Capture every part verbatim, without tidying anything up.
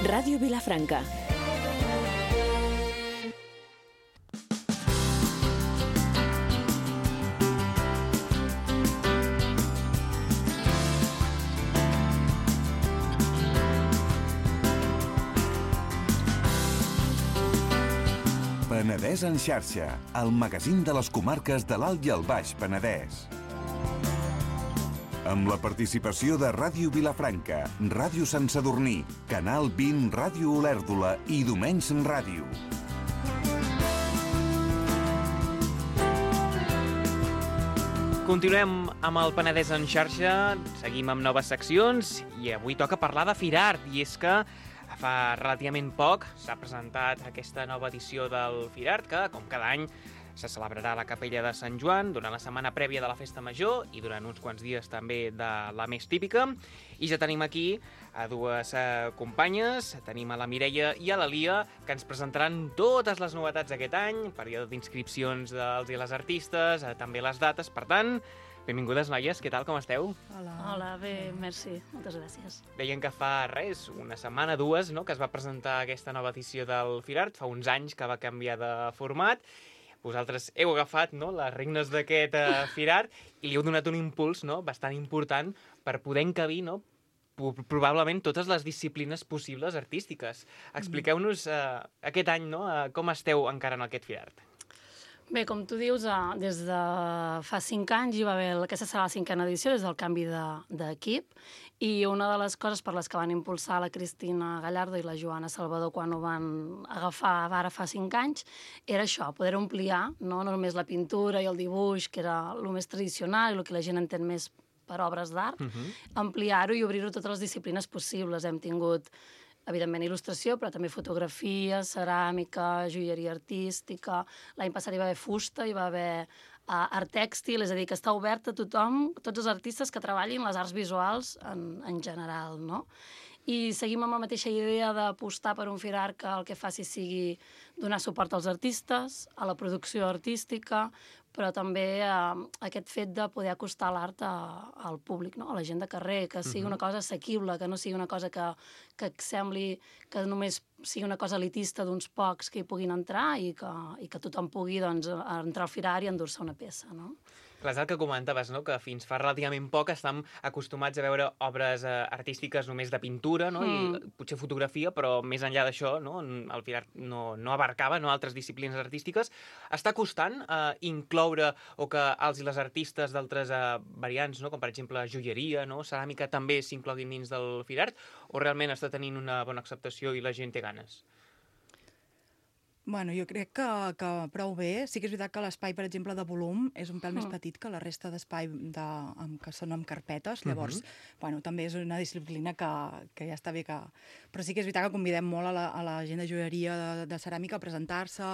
Ràdio Vilafranca. Penedès en xarxa, el magazín de les comarques de l'Alt i el Baix Penedès. Amb la participació de Ràdio Vilafranca, Ràdio Sant Sadurní, Canal vint, Ràdio Olèrdola i Domenys Ràdio. Continuem amb el Penedès en xarxa, seguim amb noves seccions i avui toca parlar de Firart, i és que fa relativament poc s'ha presentat aquesta nova edició del Firart, que, com cada any, se celebrarà a la Capella de Sant Joan durant la setmana prèvia de la Festa Major i durant uns quants dies també de la més típica. I ja tenim aquí a dues eh, companyes, tenim a la Mireia i a la Lia, que ens presentaran totes les novetats d'aquest any, període d'inscripcions dels i les artistes, eh, també les dates. Per tant, benvingudes, noies, què tal, com esteu? Hola. Hola, bé, merci, moltes gràcies. Deien que fa res, una setmana, dues, no?, que es va presentar aquesta nova edició del Firart, fa uns anys que va canviar de format. Vosaltres heu agafat, no?, les regnes d'aquest eh, Firart i li heu donat un impuls, no?, bastant important per poder encabir, no?, probablement totes les disciplines possibles artístiques. Expliqueu-nos eh, aquest any, no?, eh, com esteu encarant aquest Firart. Bé, com tu dius, des de fa cinc anys hi va haver, aquesta serà la cinquena edició, des del canvi d'equip, i una de les coses per les que van impulsar la Cristina Gallardo i la Joana Salvador quan ho van agafar ara fa cinc anys era això, poder ampliar, no, no només la pintura i el dibuix, que era el més tradicional i el que la gent entén més per obres d'art, uh-huh. ampliar-ho i obrir-ho a totes les disciplines possibles. Hem tingut evidentment il·lustració, però també fotografia, ceràmica, joieria artística. L'any passat hi va haver fusta, hi va haver uh, art tèxtil, és a dir, que està obert a tothom, tots els artistes que treballin les arts visuals en, en general, no? I seguim amb la mateixa idea d'apostar per un Firart que el que faci sigui donar suport als artistes, a la producció artística, però també eh, aquest fet de poder acostar l'art al públic, no? A la gent de carrer, que sigui una cosa assequible, que no sigui una cosa que, que sembli que només sigui una cosa elitista d'uns pocs que hi puguin entrar i que, i que tothom pugui doncs, entrar al Firart i endur-se una peça, no? Clar, és el que comentaves, no?, que fins fa relativament poc estem acostumats a veure obres eh, artístiques només de pintura, no?, mm. i potser fotografia, però més enllà d'això, no?, el Firart no, no abarcava, no?, altres disciplines artístiques. Està costant eh, incloure o que els i les artistes d'altres eh, variants, no?, com per exemple joieria, no?, ceràmica, també s'incloguin dins del Firart, o realment està tenint una bona acceptació i la gent té ganes? Bueno, jo crec que, que prou bé. Sí que és veritat que l'espai, per exemple, de volum és un pèl més petit que la resta d'espai de, amb, que són amb carpetes. Llavors, uh-huh. bueno, també és una disciplina que, que ja està bé que... Però sí que és veritat que convidem molt a la, a la gent de joieria de, de ceràmica a presentar-se,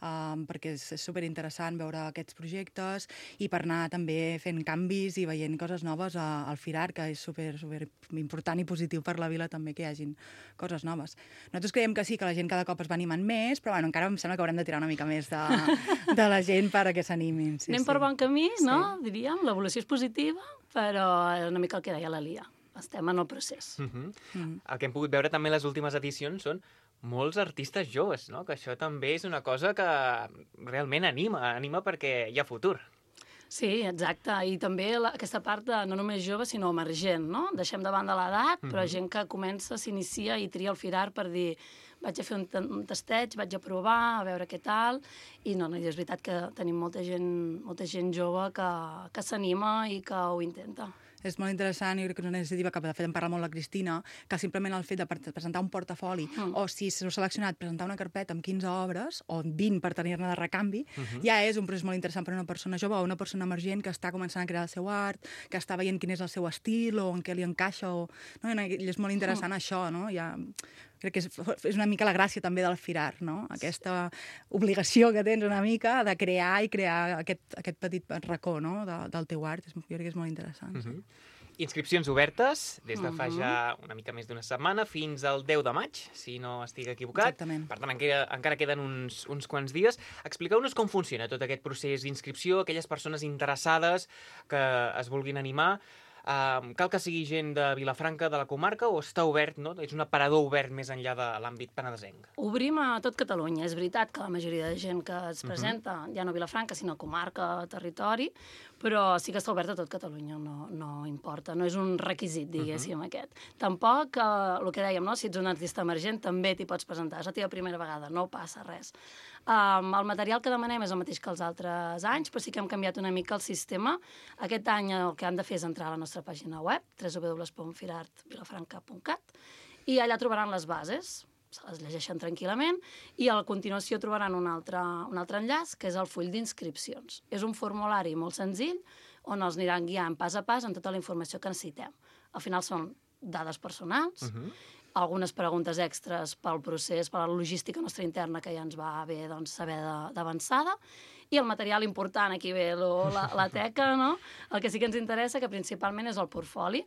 um, perquè és, és superinteressant veure aquests projectes i per anar també fent canvis i veient coses noves a, al Firart, que és super, super important i positiu per la vila també que hi hagin coses noves. Nosaltres creiem que sí, que la gent cada cop es va animant més, però bueno, encara em sembla que haurem de tirar una mica més de, de la gent perquè s'animin. Sí, Anem sí. per bon camí, no? Sí. Diríem, l'evolució és positiva, però una mica el que deia la Lia. Estem en el procés. Uh-huh. Uh-huh. El que hem pogut veure també en les últimes edicions són molts artistes joves, no?, que això també és una cosa que realment anima, anima perquè hi ha futur. Sí, exacte, i també la, aquesta part de, no només jove, sinó emergent, no? Deixem de banda l'edat, però gent que comença, s'inicia i tria el Firart per dir vaig a fer un, un tasteig, vaig a provar, a veure què tal, i no, no, és veritat que tenim molta gent, molta gent jove que, que s'anima i que ho intenta. És molt interessant, i crec que és una iniciativa que de fet en parla molt la Cristina, que simplement el fet de presentar un portafoli, mm. o si s'heu seleccionat presentar una carpeta amb quinze obres, o vint per tenir-ne de recanvi, uh-huh. ja és un procés molt interessant per a una persona jove o una persona emergent que està començant a crear el seu art, que està veient quin és el seu estil o en què li encaixa, o... no? I és molt interessant mm. això, no? Ja... Crec que és, és una mica la gràcia també del Firart, no? Aquesta obligació que tens una mica de crear i crear aquest, aquest petit racó, no?, de, del teu art. Jo crec que és molt interessant. Uh-huh. Inscripcions obertes des de fa ja una mica més d'una setmana fins al deu de maig, si no estic equivocat. Exactament. Per tant, encara, encara queden uns, uns quants dies. Expliqueu-nos com funciona tot aquest procés d'inscripció, aquelles persones interessades que es vulguin animar. Uh, cal que sigui gent de Vilafranca, de la comarca, o està obert, no? És un aparador obert més enllà de l'àmbit penedesenc? Obrim a tot Catalunya. És veritat que la majoria de gent que es presenta, uh -huh. ja no a Vilafranca, sinó a comarca, territori, però sí que està obert a tot Catalunya, no, no importa. No és un requisit, diguéssim, uh -huh. aquest. Tampoc, eh, el que dèiem, no? Si ets un artista emergent, també t'hi pots presentar. És la teva primera vegada, no passa res. Um, el material que demanem és el mateix que els altres anys, però sí que hem canviat una mica el sistema. Aquest any el que han de fer és entrar a la nostra pàgina web, w w w punt firart vilafranca punt cat, i allà trobaran les bases, se les llegeixen tranquil·lament, i a la continuació trobaran un altre, un altre enllaç, que és el full d'inscripcions. És un formulari molt senzill, on els aniran guiant pas a pas en tota la informació que necessitem. Al final són dades personals, uh-huh. algunes preguntes extres pel procés, per la logística nostra interna, que ja ens va bé doncs, saber d'avançada, i el material important, aquí ve lo, la, la teca, no? El que sí que ens interessa, que principalment és el portfoli,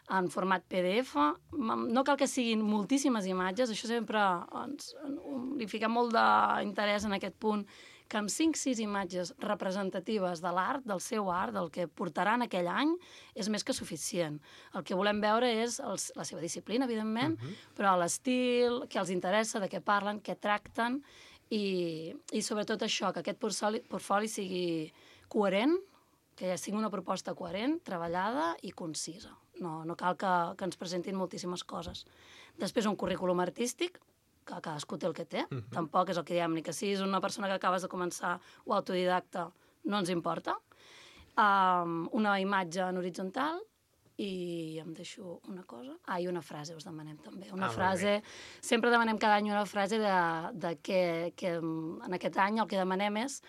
en format P D F. No cal que siguin moltíssimes imatges, això sempre ens, li fica molt d'interès en aquest punt, que amb cinc sis imatges representatives de l'art, del seu art, del que portaran aquell any, és més que suficient. El que volem veure és els, la seva disciplina, evidentment, uh-huh. però l'estil, què els interessa, de què parlen, què tracten, i, i sobretot això, que aquest portfoli, portfoli sigui coherent, que sigui una proposta coherent, treballada i concisa. No, no cal que, que ens presentin moltíssimes coses. Després, un currículum artístic, que cadascú té el que té. Uh-huh. Tampoc és el que diem, ni que siguis una persona que acabes de començar o autodidacta, no ens importa. Um, una imatge en horitzontal i em deixo una cosa. Ah, i una frase us demanem també. Una ah, frase... Sempre demanem cada any una frase de, de què, que en aquest any el que demanem és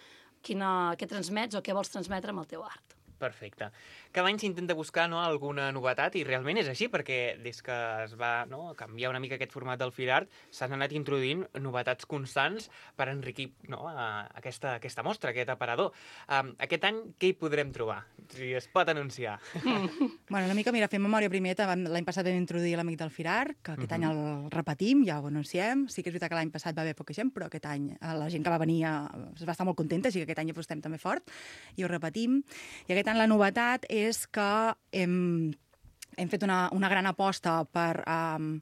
quina, què transmets o què vols transmetre amb el teu art. Perfecte. Cada any s'intenta buscar, no, alguna novetat, i realment és així, perquè des que es va, no, canviar una mica aquest format del FIRART s'han anat introduint novetats constants per enriquir, no, aquesta, aquesta mostra, aquest aparador. Um, aquest any què hi podrem trobar? Si es pot anunciar. Bueno, una mica, mira, fem memòria primer. L'any passat vam introduir l'Amic del FIRART, que aquest uh-huh. any el repetim, ja ho anunciem. Sí que és veritat que l'any passat va haver poca gent, però aquest any la gent que va venir es va estar molt contenta, així que aquest any apostem també fort i ho repetim. I aquest any la novetat és que hem, hem fet una, una gran aposta per um,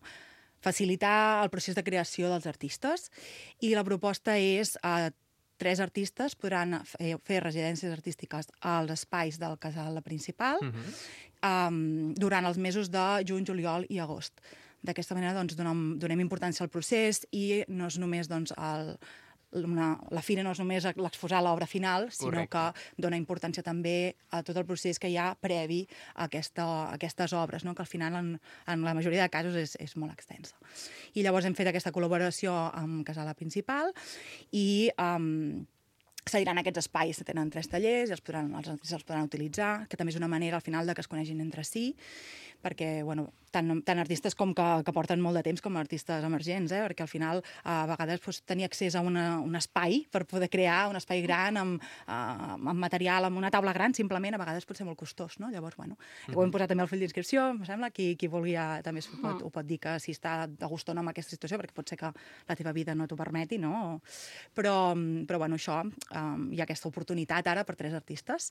facilitar el procés de creació dels artistes, i la proposta és uh, tres artistes podran fer, fer residències artístiques als espais del casal principal uh-huh. um, durant els mesos de juny, juliol i agost. D'aquesta manera doncs, donem, donem importància al procés, i no és només doncs, el Una, la fira no és només l'exposar l'obra final, sinó Correcte. Que dona importància també a tot el procés que hi ha previ a, aquesta, a aquestes obres, no? Que al final en, en la majoria de casos és, és molt extensa. I llavors hem fet aquesta col·laboració amb Casala Principal i um, cediran aquests espais, tenen tres tallers i els, podran, els artistes els podran utilitzar, que també és una manera al final de que es conegin entre si, perquè bueno, tant, tant artistes com que, que porten molt de temps com artistes emergents, eh? Perquè al final a vegades pues, tenir accés a una, un espai per poder crear un espai gran amb, uh, amb material, amb una taula gran, simplement a vegades pot ser molt costós, no? Llavors, bueno, mm-hmm. ho hem posat també al fill d'inscripció, em sembla, qui, qui vulgui també ho pot, ho pot dir que si està de gust o no amb aquesta situació, perquè pot ser que la teva vida no t'ho permeti, no? Però, però bueno, això, um, hi ha aquesta oportunitat ara per tres artistes,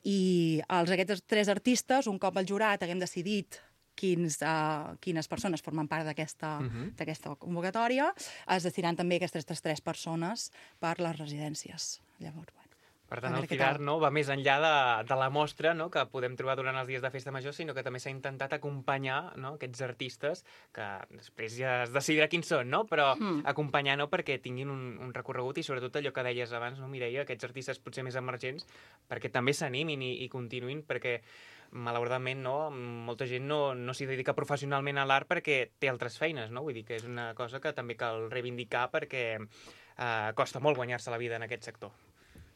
i els aquests tres artistes, un cop el jurat haguem decidit Quins, uh, quines persones formen part d'aquesta uh-huh. d'aquesta convocatòria, es decidiran també aquestes tres persones per les residències. Llavors, bueno, per tant, el FIRART no, va més enllà de, de la mostra, no, que podem trobar durant els dies de Festa Major, sinó que també s'ha intentat acompanyar, no, aquests artistes, que després ja es decidirà quins són, no? Però mm. acompanyar no, perquè tinguin un, un recorregut, i sobretot allò que deies abans, no, Mireia, aquests artistes potser més emergents, perquè també s'animin i, i continuïn, perquè malauradament no, molta gent no, no s'hi dedica professionalment a l'art perquè té altres feines, no? Vull dir que és una cosa que també cal reivindicar, perquè eh, costa molt guanyar-se la vida en aquest sector.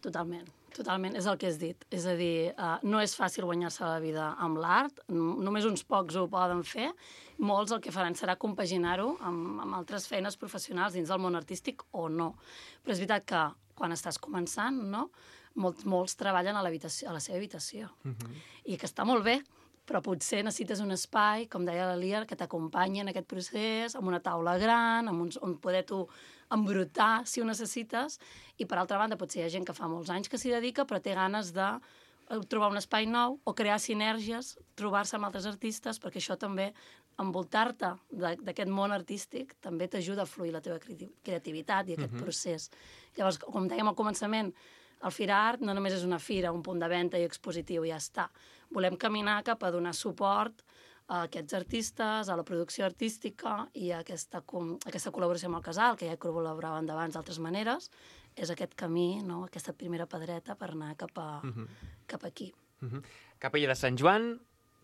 Totalment, totalment, és el que has dit. És a dir, uh, no és fàcil guanyar-se la vida amb l'art, només uns pocs ho poden fer, molts el que faran serà compaginar-ho amb, amb altres feines professionals dins del món artístic o no. Però és veritat que quan estàs començant, no?, molts, molts treballen a, a la seva habitació, uh-huh. i que està molt bé, però potser necessites un espai, com deia la Lia, que t'acompanyi en aquest procés, amb una taula gran, amb uns, on poder tu embrutar, si ho necessites, i per altra banda potser hi ha gent que fa molts anys que s'hi dedica, però té ganes de trobar un espai nou o crear sinergies, trobar-se amb altres artistes, perquè això també, envoltar-te d'aquest món artístic, també t'ajuda a fluir la teva creativitat i aquest uh-huh. procés. Llavors, com dèiem al començament, el FIRART no només és una fira, un punt de venda i expositiu, i ja està. Volem caminar cap a donar suport a aquests artistes, a la producció artística i a aquesta, aquesta col·laboració amb el Casal, que ja col·laboraven d'abans d'altres maneres, és aquest camí, no? Aquesta primera pedreta per anar cap, a, uh-huh. cap aquí. Uh-huh. Capella de Sant Joan,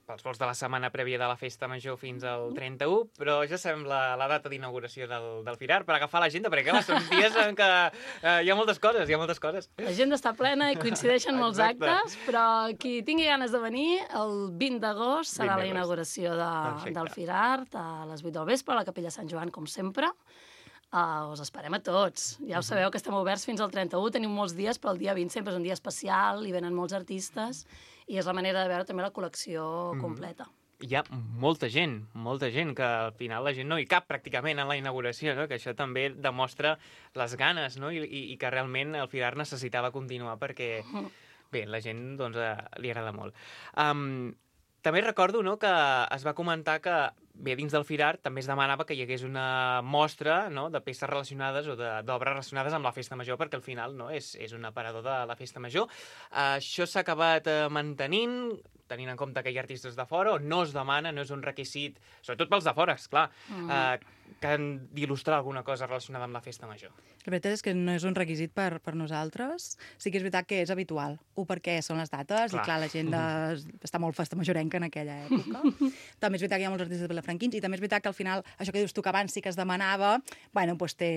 pels vols de la setmana prèvia de la Festa Major fins al trenta-u, però ja sabem la, la data d'inauguració del, del FIRART per agafar l'agenda, perquè clar, són dies en què eh, hi ha moltes coses, hi ha moltes coses. L'agenda està plena i coincideixen molts Exacte. actes, però qui tingui ganes de venir, el vint d'agost serà la inauguració de, del FIRART a les vuit del vespre a la Capella Sant Joan, com sempre. Uh, us esperem a tots. Ja ho sabeu que estem oberts fins al trenta-u, tenim molts dies, però el dia vint sempre és un dia especial, hi venen molts artistes, i és la manera de veure també la col·lecció mm. completa. Hi ha molta gent, molta gent, que al final la gent no hi cap pràcticament en la inauguració, no? Que això també demostra les ganes, no? I, i, i que realment el FIRART necessitava continuar perquè, bé, la gent doncs, eh, li agrada molt. Um, també recordo, no, que es va comentar que bé, dins del FIRART també es demanava que hi hagués una mostra, no, de peces relacionades o d'obres relacionades amb la Festa Major, perquè al final, no, és, és un aparador de la Festa Major. Uh, això s'ha acabat uh, mantenint, tenint en compte que hi ha artistes de fora, o no es demana, no és un requisit, sobretot pels de fora, esclar, mm. uh, que han d'il·lustrar alguna cosa relacionada amb la Festa Major. La veritat és que no és un requisit per, per nosaltres. Sí que és veritat que és habitual. Un, perquè són les dates, clar. I clar, la gent de, està molt festa majorenca en aquella època. També és veritat que hi ha molts artistes vilafranquins, i també és veritat que al final, això que dius tu que abans sí que es demanava, bueno, doncs té,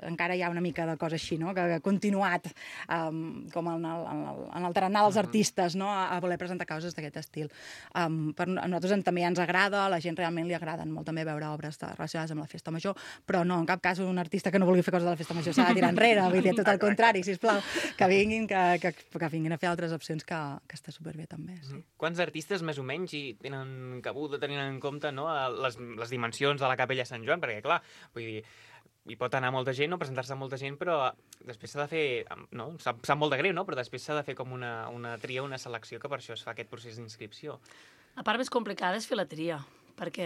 encara hi ha una mica de cosa així, no?, que ha continuat um, com en el, en, el, en el tarannà dels artistes, no?, a, a voler presentar coses d'aquest estil. Um, per, a nosaltres també ens agrada, a la gent realment li agraden molt també veure obres de, relacionades amb la Festa Major, però no, en cap cas un artista que no vulgui fer coses de la Festa Major s'ha de tirar enrere, vull dir, tot el contrari, sisplau, que vinguin, que, que, que vinguin a fer altres opcions, que, que està superbé també, sí. Quants artistes més o menys hi tenen cabuda, tenint en compte, no, les, les dimensions de la Capella Sant Joan? Perquè, clar, vull dir, hi pot anar molta gent, no, presentar-se molta gent, però després s'ha de fer, no, sap, sap molt de greu, no, però després s'ha de fer com una, una tria, una selecció, que per això es fa aquest procés d'inscripció. La part més complicada és fer la tria, perquè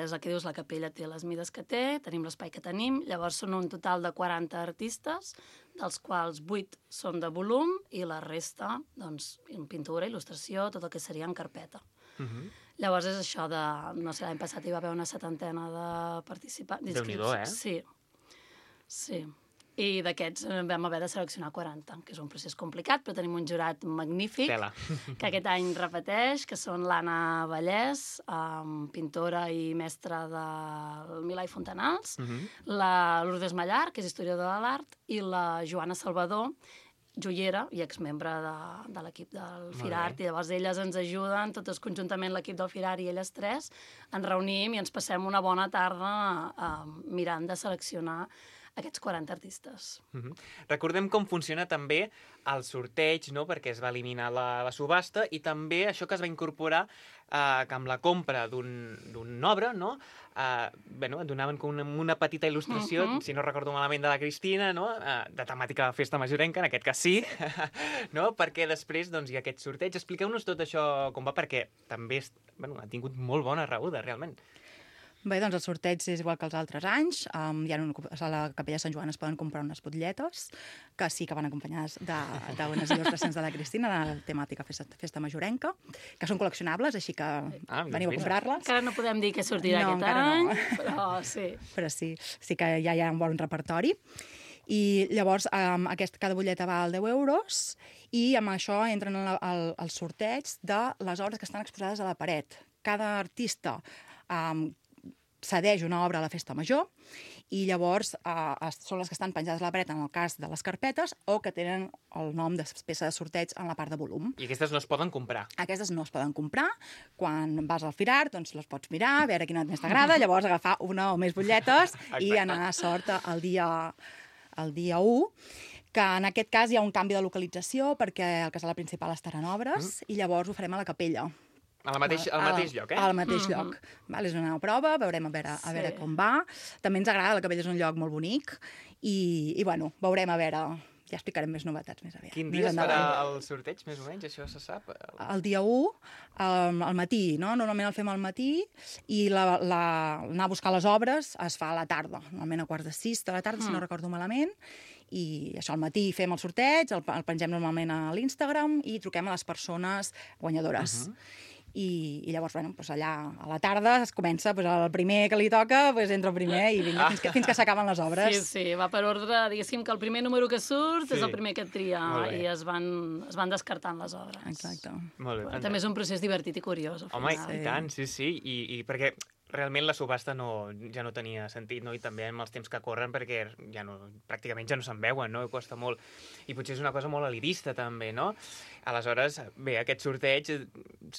és el que dius, la capella té les mides que té, tenim l'espai que tenim, llavors són un total de quaranta artistes, dels quals vuit són de volum i la resta, doncs, en pintura, il·lustració, tot el que seria en carpeta. Uh-huh. Llavors és això de, no sé, l'any passat hi va haver una setantena de participants. Déu-n'hi-do, eh? Sí, sí. I d'aquests vam haver de seleccionar quaranta, que és un procés complicat, però tenim un jurat magnífic, Tela. Que aquest any repeteix, que són l'Anna Vallès, um, pintora i mestra del Milà i Fontanals, uh-huh. la Lourdes Mallar, que és historiadora de l'art, i la Joana Salvador, joiera i exmembre de, de l'equip del FIRART, i llavors elles ens ajuden, totes conjuntament l'equip del FIRART i elles tres, ens reunim i ens passem una bona tarda uh, mirant de seleccionar aquests quaranta artistes. Uh-huh. Recordem com funciona també el sorteig, no?, perquè es va eliminar la, la subhasta, i també això que es va incorporar, eh, que amb la compra d'una un obra, no?, eh, bueno, et donaven com una, una petita il·lustració, uh-huh. si no recordo malament, de la Cristina, no?, eh, de temàtica Festa Majorenca, en aquest cas sí, no?, perquè després doncs, hi ha aquest sorteig. Expliqueu-nos tot això com va, perquè també bueno, ha tingut molt bona rebuda, realment. Bé, doncs el sorteig és igual que els altres anys. Um, hi ha una, a la Capella Sant Joan es poden comprar unes butlletes, que sí que van acompanyades d'unes il·lustracions de la Cristina, de la temàtica festa, festa majorenca, que són col·leccionables, així que ah, veniu a comprar-les. Encara no podem dir què sortirà no, aquest any, no. però sí. Però sí, sí que ja hi ha un bon repertori. I llavors um, aquest, cada butlleta val deu euros i amb això entren al, al, al sorteig de les obres que estan exposades a la paret. Cada artista um, cedeix una obra a la Festa Major i llavors eh, són les que estan penjades a la paret en el cas de les carpetes o que tenen el nom de peça de sorteig en la part de volum. I aquestes no es poden comprar? Aquestes no es poden comprar. Quan vas al FIRART, doncs les pots mirar, a veure quina més t'agrada, llavors agafar una o més butlletes i anar a sort el dia, el dia u, que en aquest cas hi ha un canvi de localització perquè el casal principal estarà en obres mm. i llavors ho farem a la capella. Al mateix, al mateix lloc, eh? Al mateix mm-hmm. lloc. Val, és una prova, veurem a veure, a veure sí. com va. També ens agrada, la Capella és un lloc molt bonic i, i bueno, veurem a veure, ja explicarem més novetats més aviat. Quin més dia es farà endavant. el sorteig, més o menys? Això se sap? El dia u, um, al matí, no? Normalment el fem al matí, i la, la, anar a buscar les obres es fa a la tarda, normalment a quarts de sis de la tarda, mm. si no recordo malament, i això al matí fem el sorteig, el, el pengem normalment a l'Instagram i truquem a les persones guanyadores. Uh-huh. I, i llavors, bueno, doncs allà a la tarda es comença, doncs el primer que li toca doncs entra el primer i vinga, fins que, fins que s'acaben les obres. Sí, sí, va per ordre, diguéssim que el primer número que surt sí. és el primer que et tria i es van, es van descartant les obres. Exacte. Molt bé. També és un procés divertit i curiós. Home, i tant, sí, sí, i, i perquè realment la subhasta no, ja no tenia sentit, no? I també amb els temps que corren, perquè ja no, pràcticament ja no se'n veuen, no? I costa molt. I potser és una cosa molt elitista, també, no? Aleshores, bé, aquest sorteig,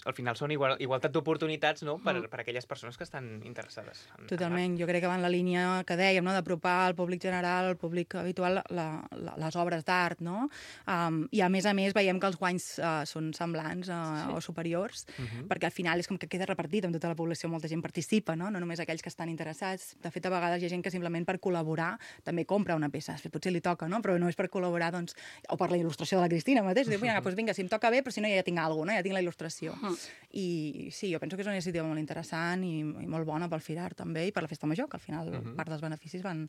al final són igual, igualtat d'oportunitats, no?, per, per a aquelles persones que estan interessades. En, Totalment, en jo crec que va en la línia que dèiem, no?, d'apropar al públic general, al públic habitual, la, la, les obres d'art, no? Um, I a més a més veiem que els guanys uh, són semblants uh, sí. o superiors, uh-huh. perquè al final és com que queda repartit amb tota la població, molta gent participa, no? No només aquells que estan interessats. De fet, a vegades hi ha gent que simplement per col·laborar també compra una peça. Potser li toca, no? Però no és per col·laborar, doncs, o per la il·lustració de la Cristina mateix. Diu, vinga, doncs vinga, si em toca bé, però si no ja tinc alguna cosa, no? Ja tinc la il·lustració. Uh-huh. I sí, jo penso que és una iniciativa molt interessant i, i molt bona pel Firar també i per la Festa Major, que al final uh-huh. part dels beneficis van,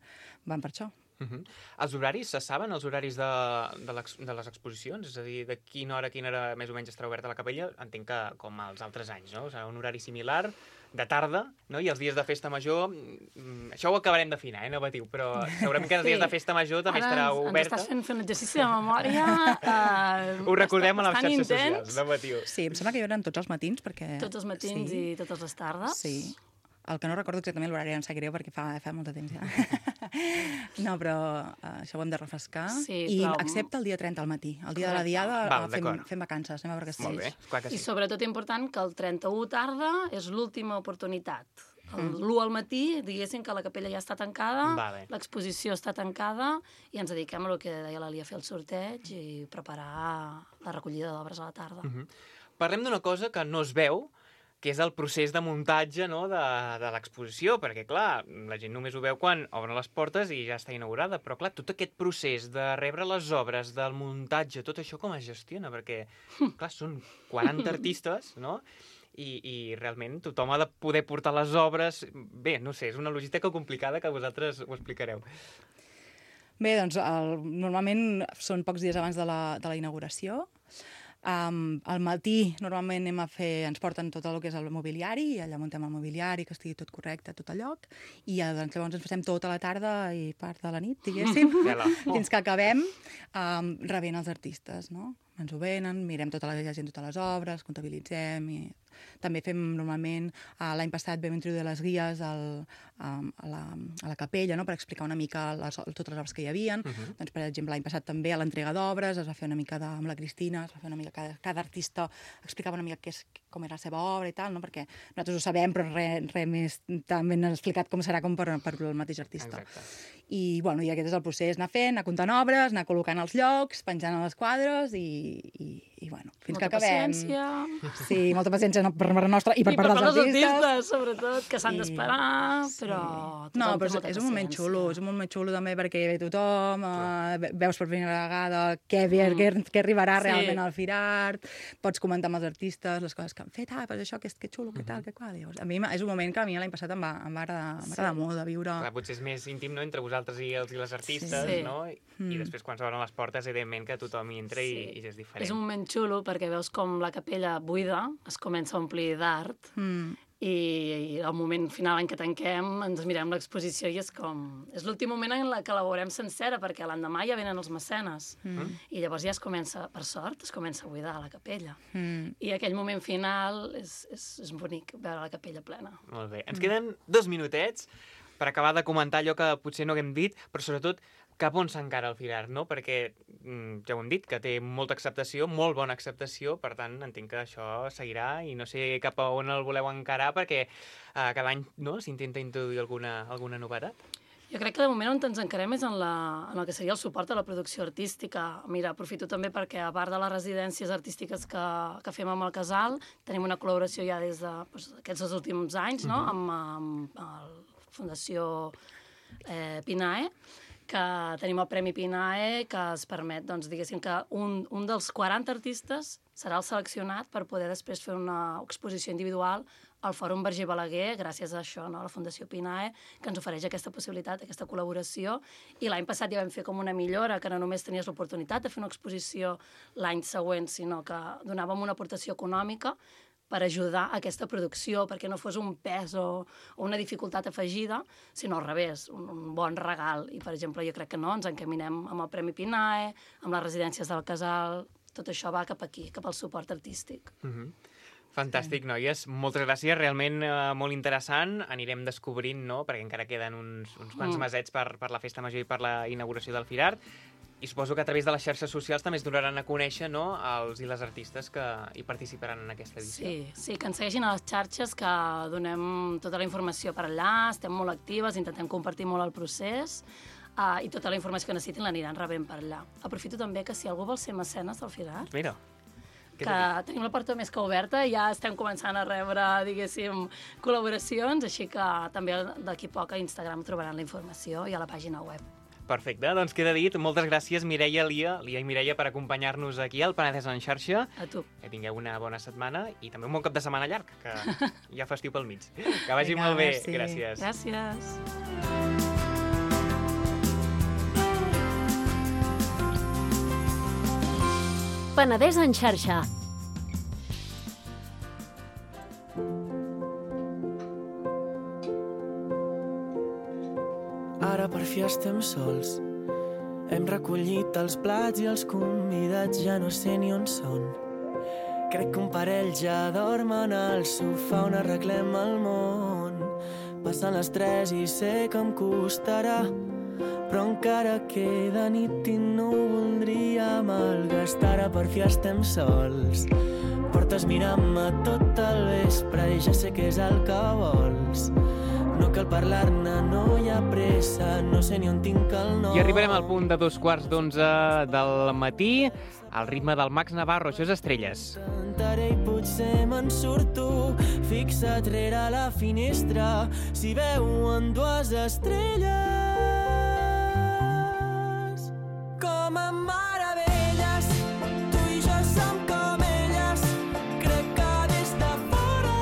van per això. Uh-huh. Els horaris, se saben els horaris de, de, de les exposicions? És a dir, de quina hora a quina hora més o menys estarà oberta la capella? Entenc que com els altres anys, no? O sigui, un horari similar, de tarda, no? I els dies de Festa Major, això ho acabarem d'afinar, eh, no patiu, però segurament que els sí. dies de Festa Major també Ara estarà ens, oberta. Ens estàs fent, fent un exercici de memòria. Uh, ho recordem a les xarxes intens. socials, no patiu. Sí, em sembla que hi haurà tots els matins, perquè... Tots els matins sí. i totes les tardes. Sí. El que no recordo exactament l'horari, em sap greu, perquè fa, fa molt de temps ja. No, però uh, això ho hem de refrescar. Sí, I però... excepte el dia trenta al matí. El dia Correcte. De la diada Val, fem, fem vacances, anem a veure que sí. Molt bé, clar que sí. I sobretot important que el trenta-u tarda és l'última oportunitat. L'u al matí, diguéssim que la capella ja està tancada, vale. L'exposició està tancada i ens dediquem a el que deia l'Elia, a fer el sorteig i preparar la recollida d'obres a la tarda. Uh-huh. Parlem d'una cosa que no es veu, que és el procés de muntatge, no?, de, de l'exposició, perquè, clar, la gent només ho veu quan obren les portes i ja està inaugurada, però, clar, tot aquest procés de rebre les obres, del muntatge, tot això com es gestiona? Perquè, clar, són quaranta artistes, no?, i, i realment tothom ha de poder portar les obres... Bé, no sé, és una logística complicada que vosaltres ho explicareu. Bé, doncs, el, normalment són pocs dies abans de la, de la inauguració. Um, al matí normalment anem a fer, ens porten tot el que és el mobiliari i allà muntem el mobiliari, que estigui tot correcte a tot el lloc, i ja, doncs, llavors ens passem tota la tarda i part de la nit, diguéssim, oh. fins que acabem um, rebent els artistes, no? Ens ho venen, mirem tota la gent, totes les obres, comptabilitzem i també fem normalment, uh, l'any passat vam introduir les guies al, um, a, la, a la capella, no?, per explicar una mica les, totes les obres que hi havia. Uh-huh. Doncs, per exemple, l'any passat també a l'entrega d'obres es va fer una mica de, amb la Cristina, es va fer una mica, cada, cada artista explicava una mica què és, com era la seva obra i tal, no?, perquè nosaltres ho sabem, però res re més també han explicat com serà com per, per el mateix artista. Exacte. I, bueno, i aquest és el procés, anar fent, anar comptant obres, anar col·locant els llocs, penjant a les quadres i, i, i bueno, fins molta que acabem. Paciència. Sí, molta paciència no, per part nostra i per I part per dels artistes. artistes, sobretot, que s'han I... d'esperar, sí. però... No, però és, és un moment xulo, és un moment xulo també perquè hi ve tothom, uh, veus per primera vegada què, mm. què, què arribarà sí. realment al Firart, pots comentar amb els artistes les coses que han fet, ah, però això, que, que xulo, que tal, que qual. Llavors, a mi és un moment que a mi l'any passat em va, em va agradar, sí. molt de viure. Clar, potser és més íntim, no?, entre vosaltres i els i les artistes, sí. no? I, mm. i després quan s'obren les portes, evidentment que tothom hi entra sí. i, i és diferent. És un moment xulo perquè veus com la capella buida es comença a omplir d'art mm. i, i al moment final en què tanquem ens mirem l'exposició i és com... És l'últim moment en la que la veurem sencera perquè l'endemà ja venen els mecenes mm. i llavors ja es comença, per sort, es comença a buidar la capella. Mm. I aquell moment final és, és, és bonic veure la capella plena. Molt bé. Ens mm. queden dos minutets per acabar de comentar allò que potser no haguem dit, però sobretot cap on s'encara el Firart, no? Perquè ja ho hem dit, que té molta acceptació, molt bona acceptació, per tant, entenc que això seguirà i no sé cap a on el voleu encarar perquè uh, cada any no, s'intenta introduir alguna, alguna novetat. Jo crec que de moment on ens encarem és en, la, en el que seria el suport a la producció artística. Mira, aprofito també perquè, a part de les residències artístiques que, que fem amb el Casal, tenim una col·laboració ja des de doncs, aquests dos últims anys, no? Uh-huh. amb, amb el Fundació eh, Pinae, que tenim el Premi Pinae, que es permet, doncs, diguéssim, que un, un dels quaranta artistes serà el seleccionat per poder després fer una exposició individual al Fòrum Verger Balaguer, gràcies a això, no? A la Fundació Pinae, que ens ofereix aquesta possibilitat, aquesta col·laboració. I l'any passat ja vam fer com una millora, que no només tenies l'oportunitat de fer una exposició l'any següent, sinó que donàvem una aportació econòmica per ajudar a aquesta producció, perquè no fos un pes o, o una dificultat afegida, sinó al revés, un, un bon regal. I, per exemple, jo crec que no, ens encaminem amb el Premi Pinae, amb les residències del Casal, tot això va cap aquí, cap al suport artístic. Mm-hmm. Fantàstic, noies. Moltes gràcies. Realment eh, molt interessant. Anirem descobrint, no?, perquè encara queden uns, uns quants mm. mesets per, per la Festa Major i per la inauguració del Firart. I suposo que a través de les xarxes socials també es donaran a conèixer, no?, els i les artistes que hi participaran en aquesta edició. Sí, sí, que ens segueixin a les xarxes, que donem tota la informació per allà, estem molt actives, intentem compartir molt el procés, uh, i tota la informació que necessitin l'aniran rebent per allà. Aprofito també que si algú vol ser mecenes del Firart, Mira, que tenim la porta més que oberta, ja estem començant a rebre, diguéssim, col·laboracions, així que també d'aquí poc a Instagram trobaran la informació i a la pàgina web. perfecte. Doncs queda dit. Moltes gràcies, Mireia, Lia, Lia i Mireia, per acompanyar-nos aquí al Penedès en xarxa. A tu. Que tingueu una bona setmana i també un bon cap de setmana llarg, que hi ha festiu pel mig. Que vagi Vinga, molt bé. merci. Gràcies. Gràcies. Penedès en xarxa. Ara per fi estem sols. Hem recollit els plats i els convidats ja no sé ni on són. Crec que un parell ja dormen al sofà on arreglem el món. Passen les tres i sé que em costarà, però encara queda nit i no ho voldria malgastar. Ara per fi estem sols. Portes mirant-me tot el vespre i ja sé què és el que vols. No cal parlar-ne, no hi ha pressa, no sé ni on tinc el nom. I arribarem al punt de dos quarts d'onze del matí, al ritme del Max Navarro. Això és Estrelles. Cantaré i potser me'n surto, fixa't rere la finestra, si veuen dues estrelles. Com a meravelles, tu i jo som com elles. Crec que des de fora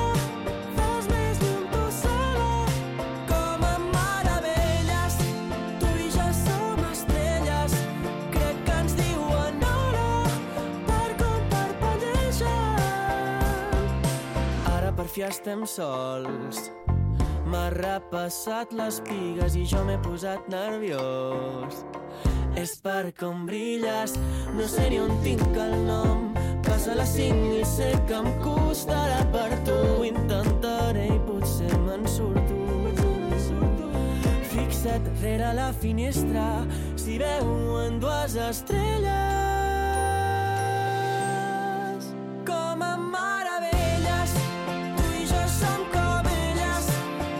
fos més llum tu sola. Com a meravelles, tu i jo som estrelles. Crec que ens diuen hora per com parpellegen. Ara per fi estem sols. M'ha repassat les pigues i jo m'he posat nerviós. És per com brilles, no sé ni on tinc el nom. Passa les cinc i sé que em costarà per tu. Intentaré i potser me'n surto. Fixa't rere la finestra, si veuen dues estrelles. Com a meravelles, tu i jo som com elles.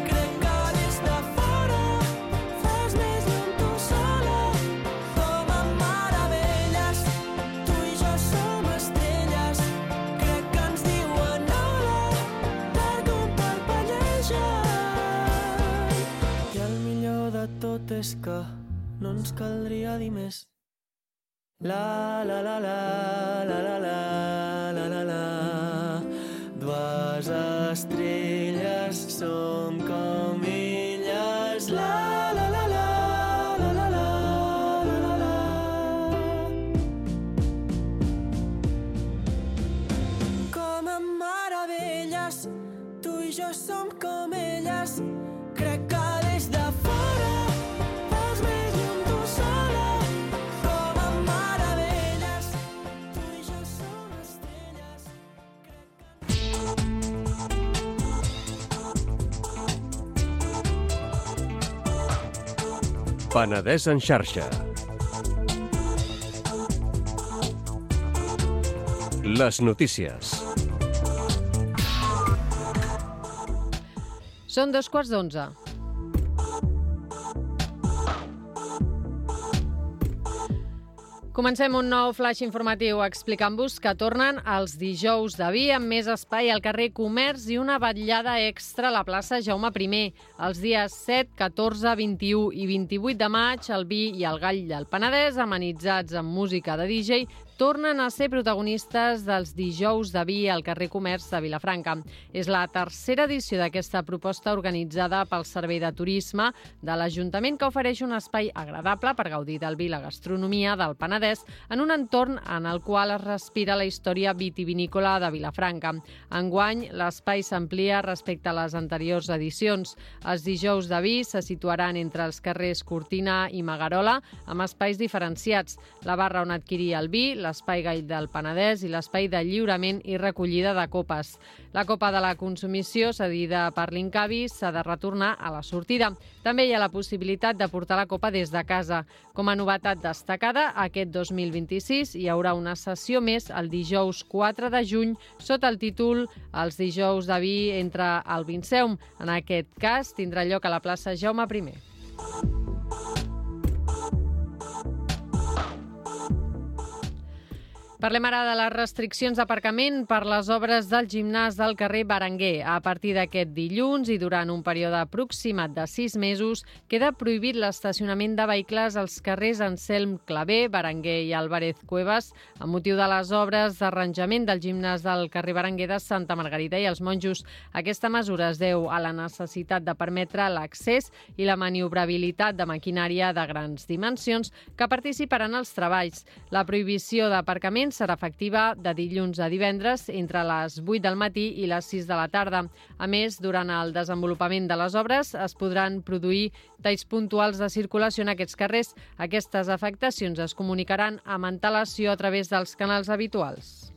Crec que des de fora fas més llum tu sola. Com a meravelles, tu i jo som estrelles. Crec que ens diuen hola per com parpellegen. I el millor de tot és que no ens caldria dir més. La la la la la la la la la la. Dues estrelles som com elles. La la la la la la la la la. Com a meravelles, tu i jo som com elles. Crec que des de fora fas més llum tu sola. Com a meravelles, tu i jo som estrelles. Penedès en xarxa. Les notícies. Són dos quarts d'onze. Comencem un nou flash informatiu explicant-vos que tornen els dijous de vi amb més espai al carrer Comerç i una vetllada extra a la plaça Jaume primer. Els dies set, catorze, vint-i-u i vint-i-vuit de maig, el vi i el gall del Penedès, amenitzats amb música de D J, tornen a ser protagonistes dels dijous de vi al carrer Comerç de Vilafranca. És la tercera edició d'aquesta proposta organitzada pel Servei de Turisme de l'Ajuntament, que ofereix un espai agradable per gaudir del vi i la gastronomia del Penedès en un entorn en el qual es respira la història vitivinícola de Vilafranca. Enguany, l'espai s'amplia respecte a les anteriors edicions. Els dijous de vi se situaran entre els carrers Cortina i Magarola, amb espais diferenciats. La barra on adquirir el vi, l'espai gall del Penedès i l'espai de lliurament i recollida de copes. La copa de la consumició cedida per l'Incavi s'ha de retornar a la sortida. També hi ha la possibilitat de portar la copa des de casa. Com a novetat destacada, aquest dos mil vint-i-sis hi haurà una sessió més el dijous quatre de juny sota el títol Els dijous de vi entre el Vinceum. En aquest cas tindrà lloc a la plaça Jaume primer. Parlem ara de les restriccions d'aparcament per les obres del gimnàs del carrer Berenguer. A partir d'aquest dilluns i durant un període aproximat de sis mesos, queda prohibit l'estacionament de vehicles als carrers Anselm Clavé, Berenguer i Álvarez Cuevas, amb motiu de les obres d'arranjament del gimnàs del carrer Berenguer de Santa Margarida i els Monjos. Aquesta mesura es deu a la necessitat de permetre l'accés i la maniobrabilitat de maquinària de grans dimensions que participaran als treballs. La prohibició d'aparcament serà efectiva de dilluns a divendres entre les vuit del matí i les sis de la tarda. A més, durant el desenvolupament de les obres es podran produir talls puntuals de circulació en aquests carrers. Aquestes afectacions es comunicaran amb antelació a través dels canals habituals.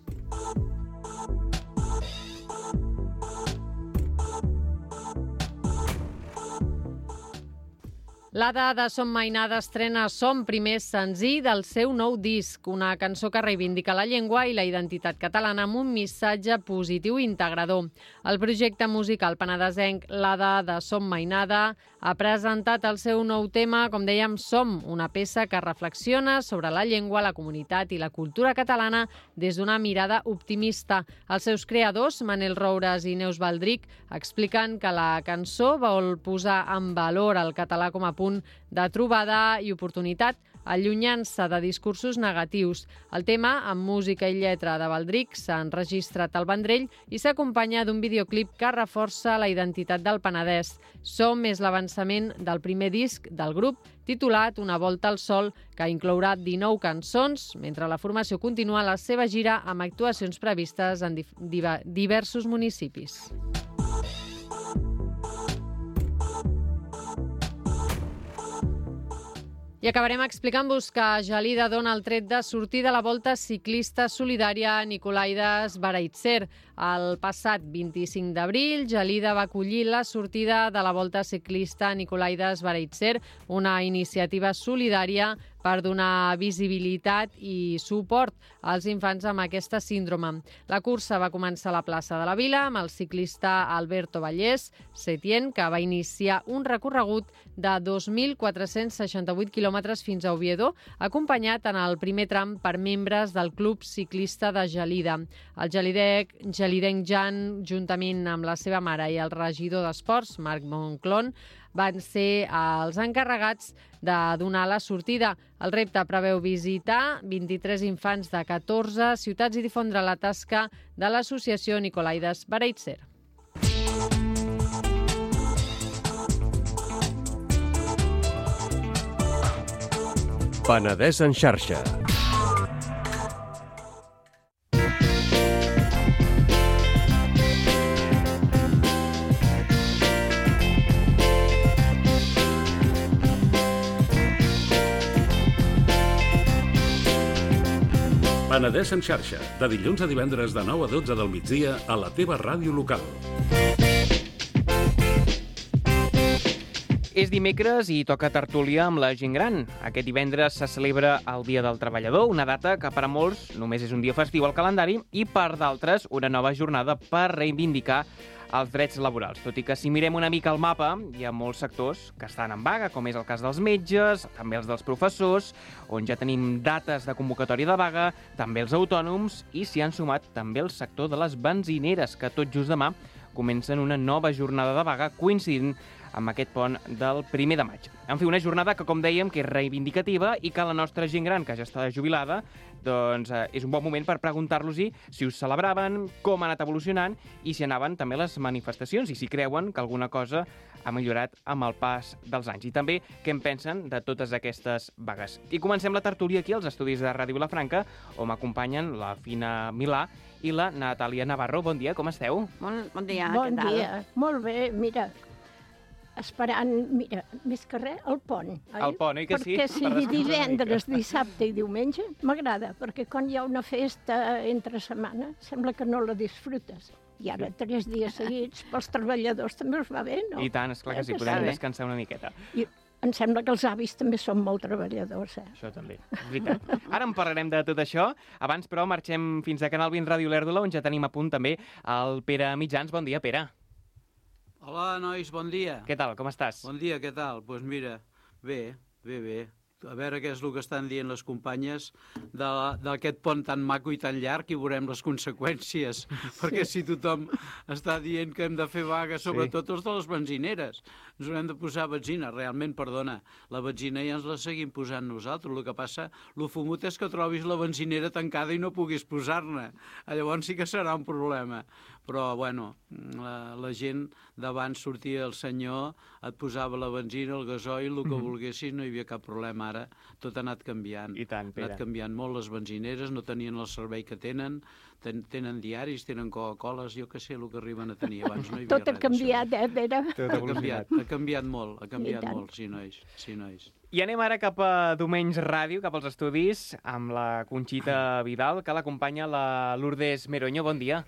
L'Ada de Som Mainada estrena Som, primer senzill del seu nou disc, una cançó que reivindica la llengua i la identitat catalana amb un missatge positiu i integrador. El projecte musical penedesenc L'Ada de Som Mainada ha presentat el seu nou tema, com dèiem, Som, una peça que reflexiona sobre la llengua, la comunitat i la cultura catalana des d'una mirada optimista. Els seus creadors, Manel Roures i Neus Baldric, expliquen que la cançó vol posar en valor el català com a punt de trobada i oportunitat, allunyant-se de discursos negatius. El tema, amb música i lletra de Baldric, s'ha enregistrat al Vendrell i s'acompanya d'un videoclip que reforça la identitat del Penedès. Som és l'avançament del primer disc del grup, titulat Una volta al sol, que inclourà dinou cançons, mentre la formació continua la seva gira amb actuacions previstes en diversos municipis. I acabarem explicant-vos que Gelida dona el tret de sortir de la Volta Ciclista Solidària Nicolaides Bereitzer. El passat vint-i-cinc d'abril, Gelida va acollir la sortida de la Volta Ciclista Nicolaides Bereitzer, una iniciativa solidària per donar visibilitat i suport als infants amb aquesta síndrome. La cursa va començar a la plaça de la Vila amb el ciclista Alberto Vallès, Setien, que va iniciar un recorregut de dos mil quatre-cents seixanta-vuit quilòmetres fins a Oviedo, acompanyat en el primer tram per membres del Club Ciclista de Gelida. El gelidec, gelidenc Jan, juntament amb la seva mare i el regidor d'Esports, Marc Monclon, van ser els encarregats de donar la sortida. El repte preveu visitar vint-i-tres infants de catorze ciutats i difondre la tasca de l'associació Nicolaides Bereitzer. Penedès en xarxa. Penedès en xarxa, de dilluns a divendres de nou a dotze del migdia a la teva ràdio local. És dimecres i toca tertúlia amb la gent gran. Aquest divendres se celebra el Dia del Treballador, una data que per a molts només és un dia festiu al calendari i per d'altres una nova jornada per reivindicar els drets laborals. Tot i que si mirem una mica el mapa, hi ha molts sectors que estan en vaga, com és el cas dels metges, també els dels professors, on ja tenim dates de convocatòria de vaga, també els autònoms i s'hi han sumat també el sector de les benzineres, que tot just demà comencen una nova jornada de vaga coincidint amb aquest pont del primer de maig. En fi, una jornada que, com dèiem, que és reivindicativa i que la nostra gent gran, que ja està jubilada, doncs eh, és un bon moment per preguntar-los-hi si us celebraven, com ha anat evolucionant i si anaven també les manifestacions i si creuen que alguna cosa ha millorat amb el pas dels anys. I també què en pensen de totes aquestes vagues. I comencem la tertúlia aquí als estudis de Ràdio Vilafranca, on m'acompanyen la Fina Milà i la Natàlia Navarro. Bon dia, com esteu? Bon, bon dia, bon què tal? dia, molt bé, mira, esperant, mira, més que res, el pont. Oi? El pont, oi que sí? Perquè Per sigui descansar una divendres, mica. dissabte i diumenge, m'agrada, perquè quan hi ha una festa entre setmana, sembla que no la disfrutes. I ara, tres dies seguits, pels treballadors també us va bé, no? I tant, esclar que sí, Eh, podem està bé. descansar una miqueta. I em sembla que els avis també són molt treballadors, eh? Això també, és veritat. Ara en parlarem de tot això. Abans, però, marxem fins a Canal vint Ràdio Olèrdola, on ja tenim a punt també el Pere Mitjans. Bon dia, Pere. Hola, nois, bon dia. Què tal, com estàs? Bon dia, què tal? Doncs pues mira, bé, bé, bé. A veure què és el que estan dient les companyes d'aquest pont tan maco i tan llarg i veurem les conseqüències. Sí. Perquè si tothom està dient que hem de fer vaga, sobretot sí. els de les benzineres, ens haurem de posar benzina. Realment, perdona, la benzina ja ens la seguim posant nosaltres. El que passa, el fumut és que trobis la benzinera tancada i no puguis posar-ne. Llavors sí que serà un problema. Però, bueno, la, la gent d'abans sortia el senyor, et posava la benzina, el gasoil, el que mm-hmm. volguessis, no hi havia cap problema. Ara tot ha anat canviant. I tant, Pere. Ha anat canviant molt les benzineres, no tenien el servei que tenen, ten, tenen diaris, tenen Coca-Coles, jo què sé el que arriben a tenir abans. No hi havia Tot ha canviat, eh, Pere? Tot ha canviat, ha canviat molt, ha canviat molt, sí, nois, sí, nois. I anem ara cap a Domenys Ràdio, cap als estudis, amb la Conxita Vidal, que l'acompanya la Lourdes Meroño. Bon dia.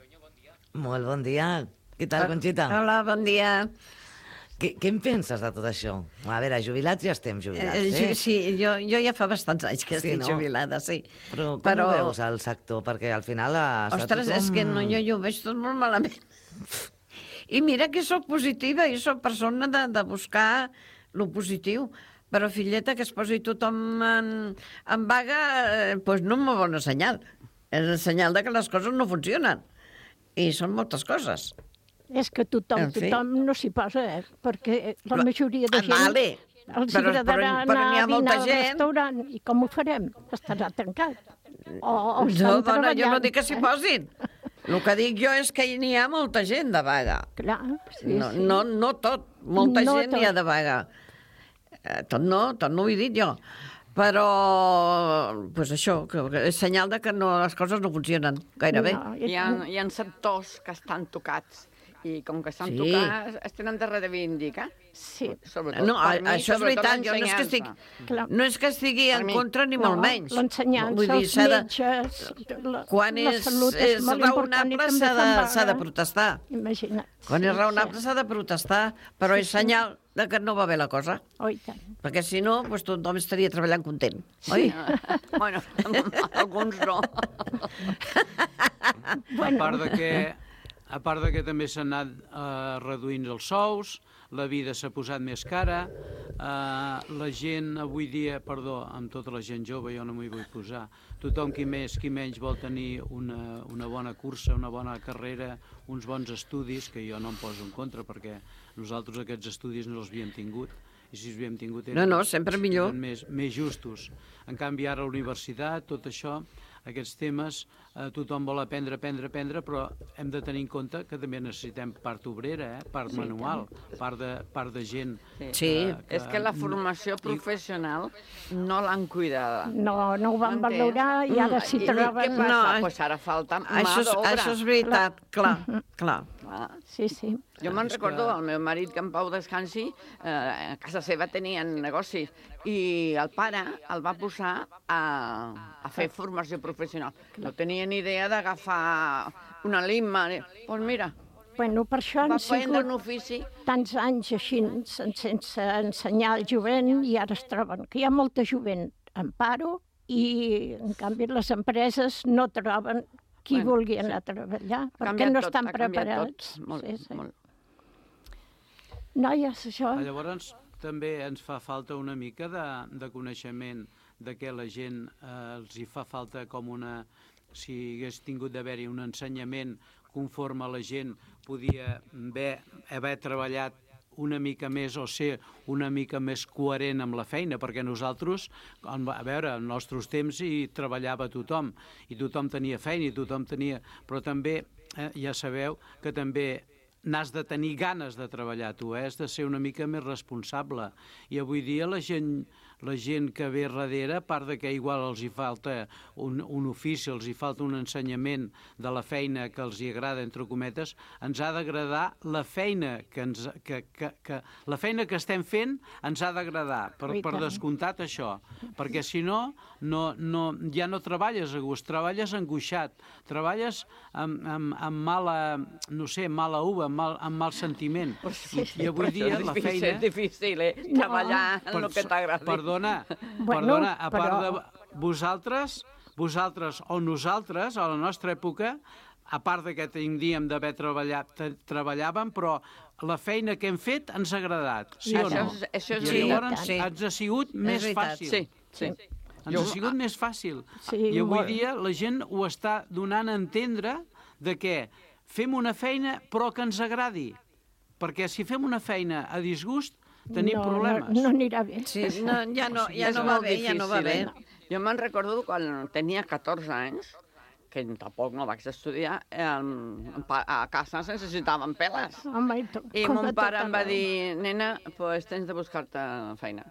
Molt bon dia. Què tal, Conxita? Hola, bon dia. Què, què en penses de tot això? A veure, jubilats ja estem jubilats, eh? eh? Sí, jo, jo ja fa bastants anys que sí, estic no? jubilada, sí. Però com Però... ho veus, el sector? Perquè al final... Ostres, tothom... és que no, jo, jo ho veig tot molt malament. I mira que sóc positiva i sóc persona de, de buscar lo positiu. Però, filleta, que es posi tothom en, en vaga, eh, pues no és molt bona senyal. És el senyal de que les coses no funcionen. I són moltes coses. És que tothom, tothom no s'hi posa, eh? Perquè la majoria de gent... Vale. Els però, agradarà però, anar però a dinar molta al gent. restaurant. I com ho farem? Estarà tancat. O, o no, dona, jo no dic que s'hi posin. El que dic jo és que n'hi ha molta gent de vaga. Clar, sí, no, sí. No, no tot, molta no gent n'hi ha de vaga. Eh, tot no, tot no ho he dit jo. Però, pues això, que és senyal de que no, les coses no funcionen gaire bé. No, hi, ha, hi ha sectors que estan tocats i com que estan Sí. tocats es tenen de reivindicar. Sí. Sobretot No, per mi, això és sobretot veritat, jo no és que estic, l'ensenyança. no és que estigui Per en mi. contra ni No, molt menys. l'ensenyança, Vull dir, els s'ha de- metges, la, Quan la és, salut és, és molt important i raonable també s'ha de, fan vaga. s'ha de protestar. Imagina't. Quan Sí, és raonable sí. s'ha de protestar, però és senyal de que no va bé la cosa. Oh, i tant. Perquè si no, doncs tothom estaria treballant content, oi? Bueno, alguns no. A part de que, a part de que també s'han anat eh, reduint els sous, la vida s'ha posat més cara, eh, la gent avui dia, perdó, amb tota la gent jove, jo no m'hi vull posar, tothom qui més, qui menys vol tenir una, una bona cursa, una bona carrera, uns bons estudis, que jo no em poso en contra, perquè nosaltres aquests estudis no els havíem tingut, i si els havíem tingut eren, No, no, sempre millor. eren més, més justos. En canvi, ara a la universitat, tot això, aquests temes, eh, tothom vol aprendre, aprendre, aprendre, però hem de tenir en compte que també necessitem part obrera, eh? part Sí, manual, part de, part de gent. Sí. És que la formació professional no l'han cuidada. No, no ho van M'entens? valorar i ara s'hi I troben... què passa? No, pues ara falta mà Això és, d'obra. això és veritat, clar, clar. Sí, sí. Jo me'n És recordo, que- el meu marit, que en Pau descansi, eh, a casa seva tenien negoci, i el pare el va posar a, a fer formació professional. No tenia ni idea d'agafar una lima. Doncs pues mira, Bueno, per això Va han prendre un sigut ofici. tants anys així sen- sense ensenyar al jovent i ara es troben que hi ha molta jovent en paro i, en canvi, les empreses no troben qui Bueno, vulgui sí. anar a treballar Ha perquè canviat no tot, estan ha canviat preparats. tot. Molt, Sí, sí. molt. Noies, això... Ah, Llavors, també ens fa falta una mica de, de coneixement de què la gent eh, els hi fa falta com una... Si hagués tingut d'haver-hi un ensenyament conforme la gent podia haver, haver treballat una mica més o ser una mica més coherent amb la feina, perquè nosaltres, a veure, en nostres temps hi treballava tothom, i tothom tenia feina, i tothom tenia... Però també, eh, ja sabeu, que també n'has de tenir ganes de treballar, tu, eh? Has de ser una mica més responsable. I avui dia la gent... la gent que ve darrere, a part de que igual els hi falta un, un ofici, els hi falta un ensenyament de la feina que els hi agrada, entre cometes, ens ha d'agradar la feina que, ens, que, que, que la feina que estem fent ens ha d'agradar, per, per descomptat això, perquè si no, no, no, ja no treballes a gust, treballes angoixat, treballes amb, amb, amb mala, no sé, mala uva, amb mal, amb mal sentiment. I, i avui dia la feina... És difícil, eh? Treballar en el que t'agrada. Perdona, Bueno, perdona, a part però- de vosaltres, vosaltres o nosaltres, a la nostra època, a part de que tindríem d'haver treballat, te- treballàvem, però la feina que hem fet ens ha agradat, sí o Això no? és- això és I veritat. llavors Sí. ens ha sigut més veritat. fàcil. Sí, sí. Ens ha sigut més fàcil. Sí, I avui molt. dia la gent ho està donant a entendre de que fem una feina però que ens agradi. Perquè si fem una feina a disgust, tenim no, problemes. No, no anirà bé. Sí, no, ja no, ja És no va molt bé, ja no va bé. difícil, eh? Jo me'n recordo quan tenia catorze anys, que tampoc no vaig estudiar, eh, a casa ens necessitàvem peles. Home, i, to, I com mon a pare tot em va arreu. dir, nena, pues tens de buscar-te feina.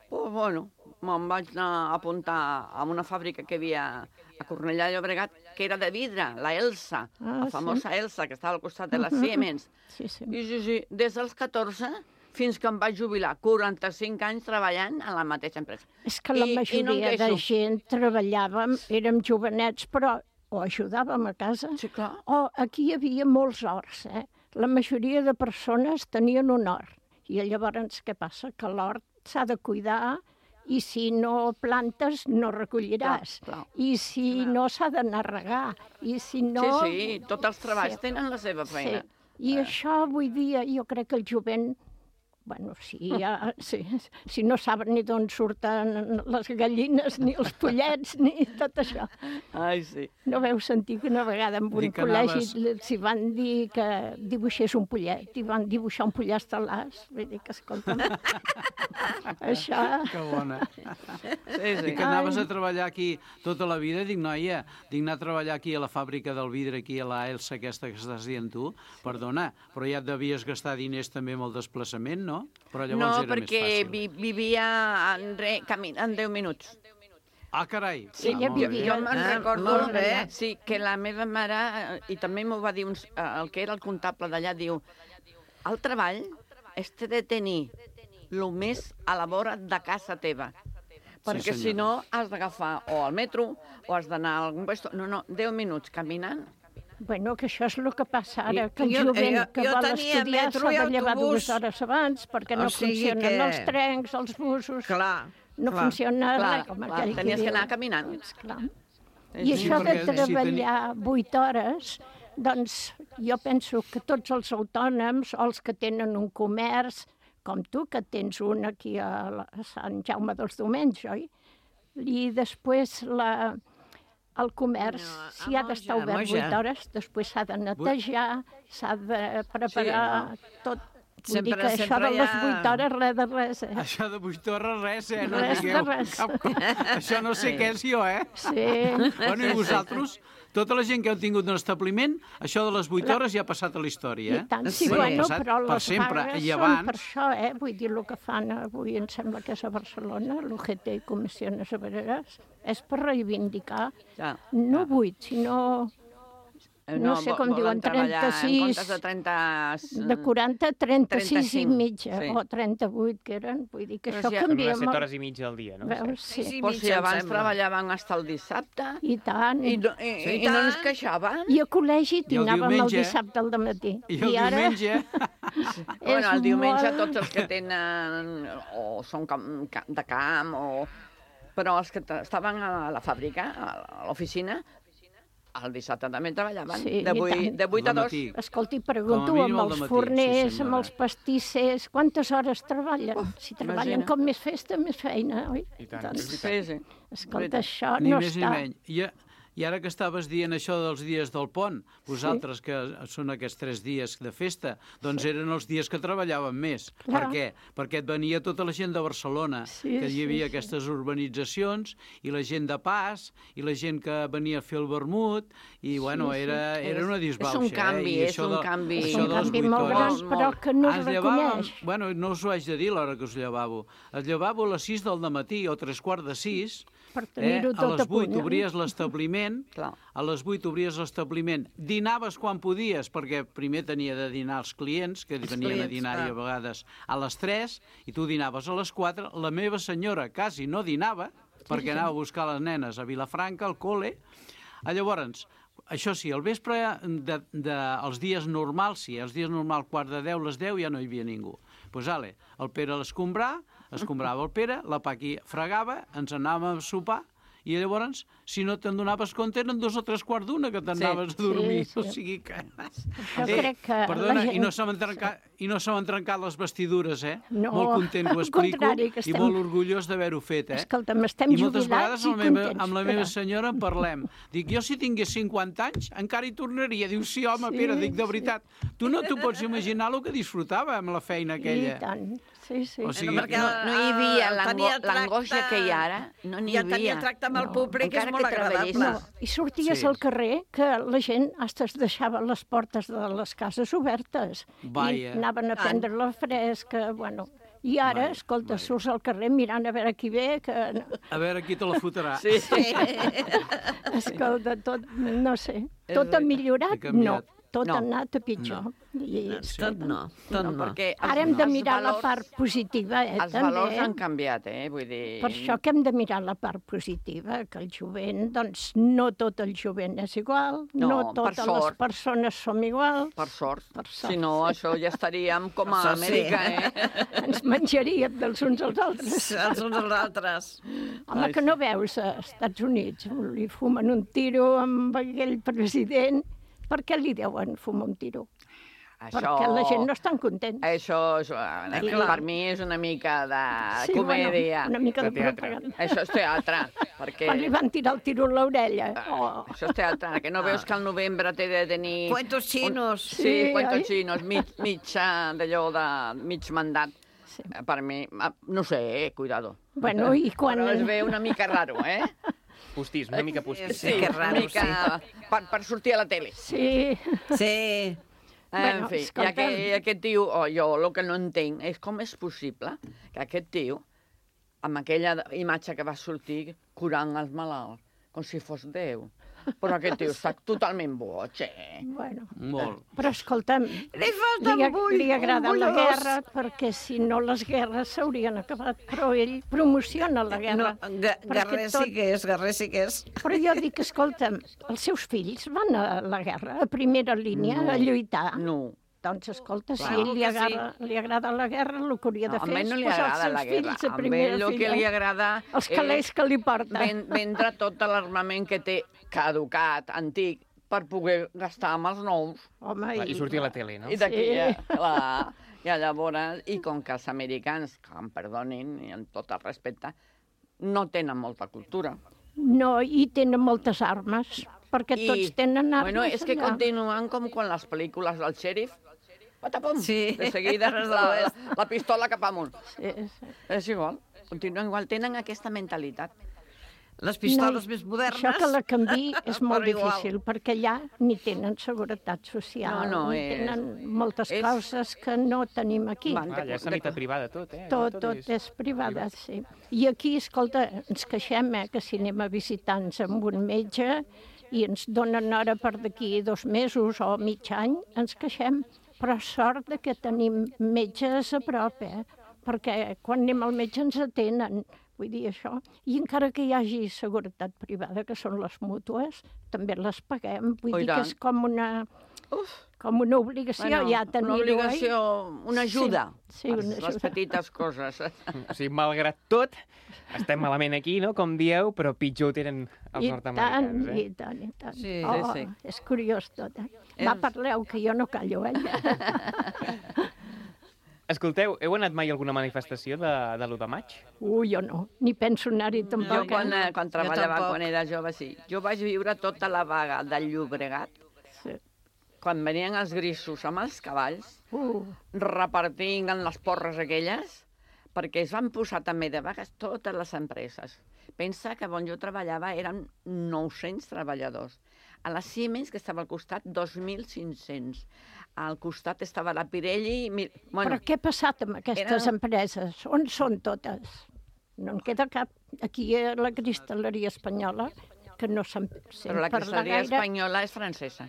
Pues bueno, me'n vaig anar a apuntar a una fàbrica que hi havia a Cornellà de Llobregat, que era de vidre, la Elsa, Ah, la famosa sí. Elsa, que estava al costat de la Mhm. Siemens. Sí, sí. I sí, sí, des dels catorze fins que em vaig jubilar, quaranta-cinc anys treballant en la mateixa empresa. És que la I- i no em majoria de queixo. gent treballàvem, érem jovenets, però o ajudàvem a casa, sí, clar. o aquí hi havia molts horts. Eh? La majoria de persones tenien un hort. I llavors què passa? Que l'hort s'ha de cuidar i si no plantes no recolliràs. Clar, clar. I si no s'ha d'anar a regar. I si no... Sí, sí, tots els treballs Sí. tenen la seva feina. Sí. I això avui dia jo crec que el jovent, bueno, si, ja, si, si no saben ni d'on surten les gallines, ni els pollets, ni tot això. Ai, sí. No veu sentir que una vegada en un Dic que col·legi anaves- s'hi van dir que dibuixés un pollet, i van dibuixar un pollastre-las. Vull dir que, escolta'm, això... Que bona. Sí, sí. I que anaves a treballar aquí tota la vida, dic, noia, dic anar a treballar aquí a la fàbrica del vidre, aquí a la Elsa aquesta que estàs dient tu, perdona, però ja et devies gastar diners també amb el desplaçament, no? Però No, llavors era perquè més fàcil. vi vivia en, re, camin, en deu minuts. Ah, carai! Sí, ah, jo, molt bé. jo me'n Ah, recordo molt bé. sí, que la meva mare, eh, i també m'ho va dir uns, eh, el que era el comptable d'allà, diu, el treball és de tenir el més a la vora de casa teva. Perquè si senyora. no has d'agafar o el metro o has d'anar a algun lloc. No, no, deu minuts caminant. Bueno, que això és el que passa ara, I- que el jo- jovent jo- que jo vol tenia estudiar metro i s'ha de llevar autobús. dues hores abans perquè no O sigui funcionen que- els trens, els busos, Clar, no clar. funciona Clar, res, com clar, aquell tenies que diu. anar caminant. Clar. Sí, I sí, això de perquè si treballar vuit hores, doncs jo penso que tots els autònoms o els que tenen un comerç, com tu, que tens un aquí a, la, a Sant Jaume dels Domenys, oi? I després la, el comerç, No, a si ha d'estar Moja, a obert Moja. vuit hores, després s'ha de netejar, s'ha de preparar tot. Vull dir Sempre- que això sempre de hi les ha- vuit hores, res de res, eh? Això de vuit hores, res, eh? No Res de digueu res. cap cosa. Això no sé què és jo, eh? Sí. Bueno, i vosaltres, tota la gent que heu tingut un establiment, això de les vuit La- hores ja ha passat a la història, eh? I tant, sí, Sí. bueno, ha passat però per les sempre. vagues I són abans- per això, eh? Vull dir, el que fan avui, em sembla que és a Barcelona, l'U G T i Comissiones Obreras, és per reivindicar, Ja, no ja. vuit, sinó no sé com diuen, trenta-sis... En comptes de trenta... De quaranta a trenta-sis i trenta-cinc, mitja, sí. o trenta-vuit, que eren. Vull dir que Però això si- canvia Unes set molt. hores i mitja al dia, no? Veus? Sí. Sí, Però si abans treballaven fins al dissabte. I tant. I, no, i, Sí, i no ens queixaven. I a col·legi I el anàvem el diumenge? dissabte al dematí. I el ara... diumenge? Bueno, el diumenge molt- tots els que tenen o són cam- ca- de camp o... Però els que t- estaven a la fàbrica, a l'oficina, el dissabte també treballaven, Sí, de i vuit- tant. de vuit a dos. Escolti, pregunto Com a mínim amb al els dematí, forners, sí, amb senyora. els pastissers, quantes hores treballen? Si treballen imagina. com més festa, més feina, oi? I tant, Doncs, és veritat. Sí, sí. escolta, això Ni no més està... ni menys. I, I ara que estaves dient això dels dies del pont, vosaltres que són aquests tres dies de festa, doncs eren els dies que treballàvem més. Clar. Per què? Perquè et venia tota la gent de Barcelona, Sí, que hi sí, havia sí. aquestes urbanitzacions, i la gent de pas, i la gent que venia a fer el vermut, i bueno, sí. era, era una disbauxa. És un canvi, eh? I és això un de- canvi. això És un de les canvi vuit molt gran, hores- però que no es Ens llevàvem, reconeix. bueno, no us ho haig de dir l'hora que us llevàveu. Es llevàveu a les sis del matí o tres quarts de sis, Per tenir-ho a tot les a punt, vuit no? obries l'establiment, a les vuit obries l'establiment, dinaves quan podies, perquè primer tenia de dinar els clients, que Els venien a clients, dinar-hi a clar. vegades a les tres, i tu dinaves a les quatre. La meva senyora quasi no dinava, perquè sí. anava a buscar les nenes a Vilafranca, al col·le. Ah, Llavors, això sí, al vespre, de, de, els dies normals, sí, els dies normals, quart de deu, les deu, ja no hi havia ningú. Doncs, pues, ale, el Pere a l'escombrar, escombrava el Pere, la Paqui fregava, ens anàvem a sopar, i llavors, si no te'n donaves compte, eren dos o tres quarts d'una que t'anaves Sí, a dormir. sí, sí. O sigui que... Jo crec que perdona, la gent- i no se m'han trencat, i no se m'han trencat les vestidures, eh? No, molt content que ho al explico, contrari, que i estem- molt orgullós d'haver-ho fet, eh? Escolta'm, estem I moltes jubilats vegades i amb la meva, contents, amb la meva però- senyora en parlem. Dic, jo si tingués cinquanta anys encara hi tornaria. Diu, sí, home, Sí, Pere, dic, de sí. veritat. Tu no t'ho pots imaginar el que disfrutava amb la feina aquella. I tant, sí, sí. O sigui, no, no hi havia eh, l'ango- tenia tracte- l'angoixa que hi ha ara, no n'hi Ja havia. tenia tracte amb el públic, és encara molt que agradable. treballessis. No, i sorties Sí. al carrer que la gent hasta es deixava les portes de les cases obertes. Vaja. I anaven a prendre la fresca, bueno... I ara, Vaja, escolta, surts al carrer mirant a veure qui ve, que... A veure qui te la fotrà. Sí. Escolta, tot, no sé, És tot ha veritat, millorat? ha canviat. No, tot No. ha anat a pitjor. I, Tot no, tot no. perquè Ara hem de els mirar la valors- part positiva, eh, Els també. valors han canviat, eh? Vull dir... Per això que hem de mirar la part positiva, que el jovent, doncs no tot el jovent és igual, no, No, per totes les sort. persones som iguals. Per sort. Per sort. Si no, això ja estaríem com a Això sí. Amèrica, eh? Ens menjaríem dels uns als altres. Els uns als altres. Home, que no veus a Estats Units, li fumen un tiro amb aquell president. Per què li deuen fumar un tiro? Això... Perquè la gent no estan contents. Això, això eh, clar. per mi és una mica de Sí, comèdia. bueno, una mica de, De teatre. propaganda. Això és teatre, perquè... Quan li van tirar el tiro a l'orella. Oh. Això és teatre, que no veus que al novembre té de tenir... Cuentos chinos. Un... Sí, Sí, cuentos oi? chinos, mig, mig eh, d'allò de mig mandat. Sí. Eh, Per mi, ah, no sé, eh, cuidado. Bueno, i quan... Però es ve una mica raro, eh? Postís, una mica postís. Sí, que raro, una mica per, per sortir a la tele. Sí. Sí. Bueno, En fi, i escolta'm. aquest, i aquest tio, oh, jo el que no entenc és com és possible que aquest tio, amb aquella imatge que va sortir curant els malalts, com si fos Déu. Però aquest tio està totalment boig, eh? Bueno, Molt. però escolta'm, Li falta li, un bull, li agrada un la bullós. guerra perquè si no les guerres s'haurien acabat, però ell promociona la guerra. No, ga- perquè Guerrer tot- sí que és, guerrer sí que és. Però jo dic, escolta'm, els seus fills van a la guerra, a primera línia, No. a lluitar. No. Doncs escolta, si Clar ell li que sí. agrada, li agrada la guerra, el que hauria de No, a fer mi és no li posar els agrada seus la guerra. fills a A primera ell el que fila. li agrada Els calés que li porta. ven, vendre tot l'armament que té caducat, antic, per poder gastar amb els nous. Home, I sortir a la tele, no? I d'aquí, Sí. ja, clar. I llavors, i com que els americans, que em perdonin, i amb tot el respecte, no tenen molta cultura. No, i tenen moltes armes, perquè I, tots tenen armes. Bueno, és que allà. continuen com quan les pel·lícules del xèrif, patapum, Sí. de seguida la, la pistola cap amunt. Sí, sí. És igual, continuen igual, tenen aquesta mentalitat. Les pistoles No, més modernes... Això que la canvi és molt però igual. difícil, perquè allà ni tenen seguretat social, No, no, ni és- tenen moltes és- coses que no tenim aquí. Van, Ah, allà és sanitat privada, tot, eh? Allà Tot, tot és privada, sí. I aquí, escolta, ens queixem, eh, que si anem a visitar-nos amb un metge i ens donen hora per d'aquí dos mesos o mig any, ens queixem. Però sort de que tenim metges a prop, eh? Perquè quan anem al metge ens atenen, vull dir això. I encara que hi hagi seguretat privada, que són les mútues, també les paguem. Vull Oh, dir que és com una, com una obligació Bueno, ja tenir-ho. una obligació, una ajuda. Sí, sí, una les, ajuda. les petites coses. O sigui, malgrat tot, estem malament aquí, no?, com dieu, però pitjor ho tenen els I nord-americans, tant, eh? i tant, i tant. Sí, oh, sí, sí. És curiós tot, eh? Va, parleu, que jo no callo, eh? Escolteu, heu anat mai a alguna manifestació de, de l'u de maig? Ui, jo no, ni penso anar-hi Jo tampoc. quan, eh? eh, quan treballava, quan era jove, sí. Jo vaig viure tota la vaga del Llobregat, sí. quan venien els grisos amb els cavalls, uh. repartint en les porres aquelles, perquè es van posar també de vagues totes les empreses. Pensa que on jo treballava eren nou-cents treballadors. A la Siemens, que estava al costat, dos mil cinc-cents. Al costat estava la Pirelli... Mil... Bueno, Però què ha passat amb aquestes eren... empreses? On són totes? No en queda cap. Aquí a la cristal·leria espanyola, que no se'n sent Però la parlar cristal·leria gaire. espanyola és francesa.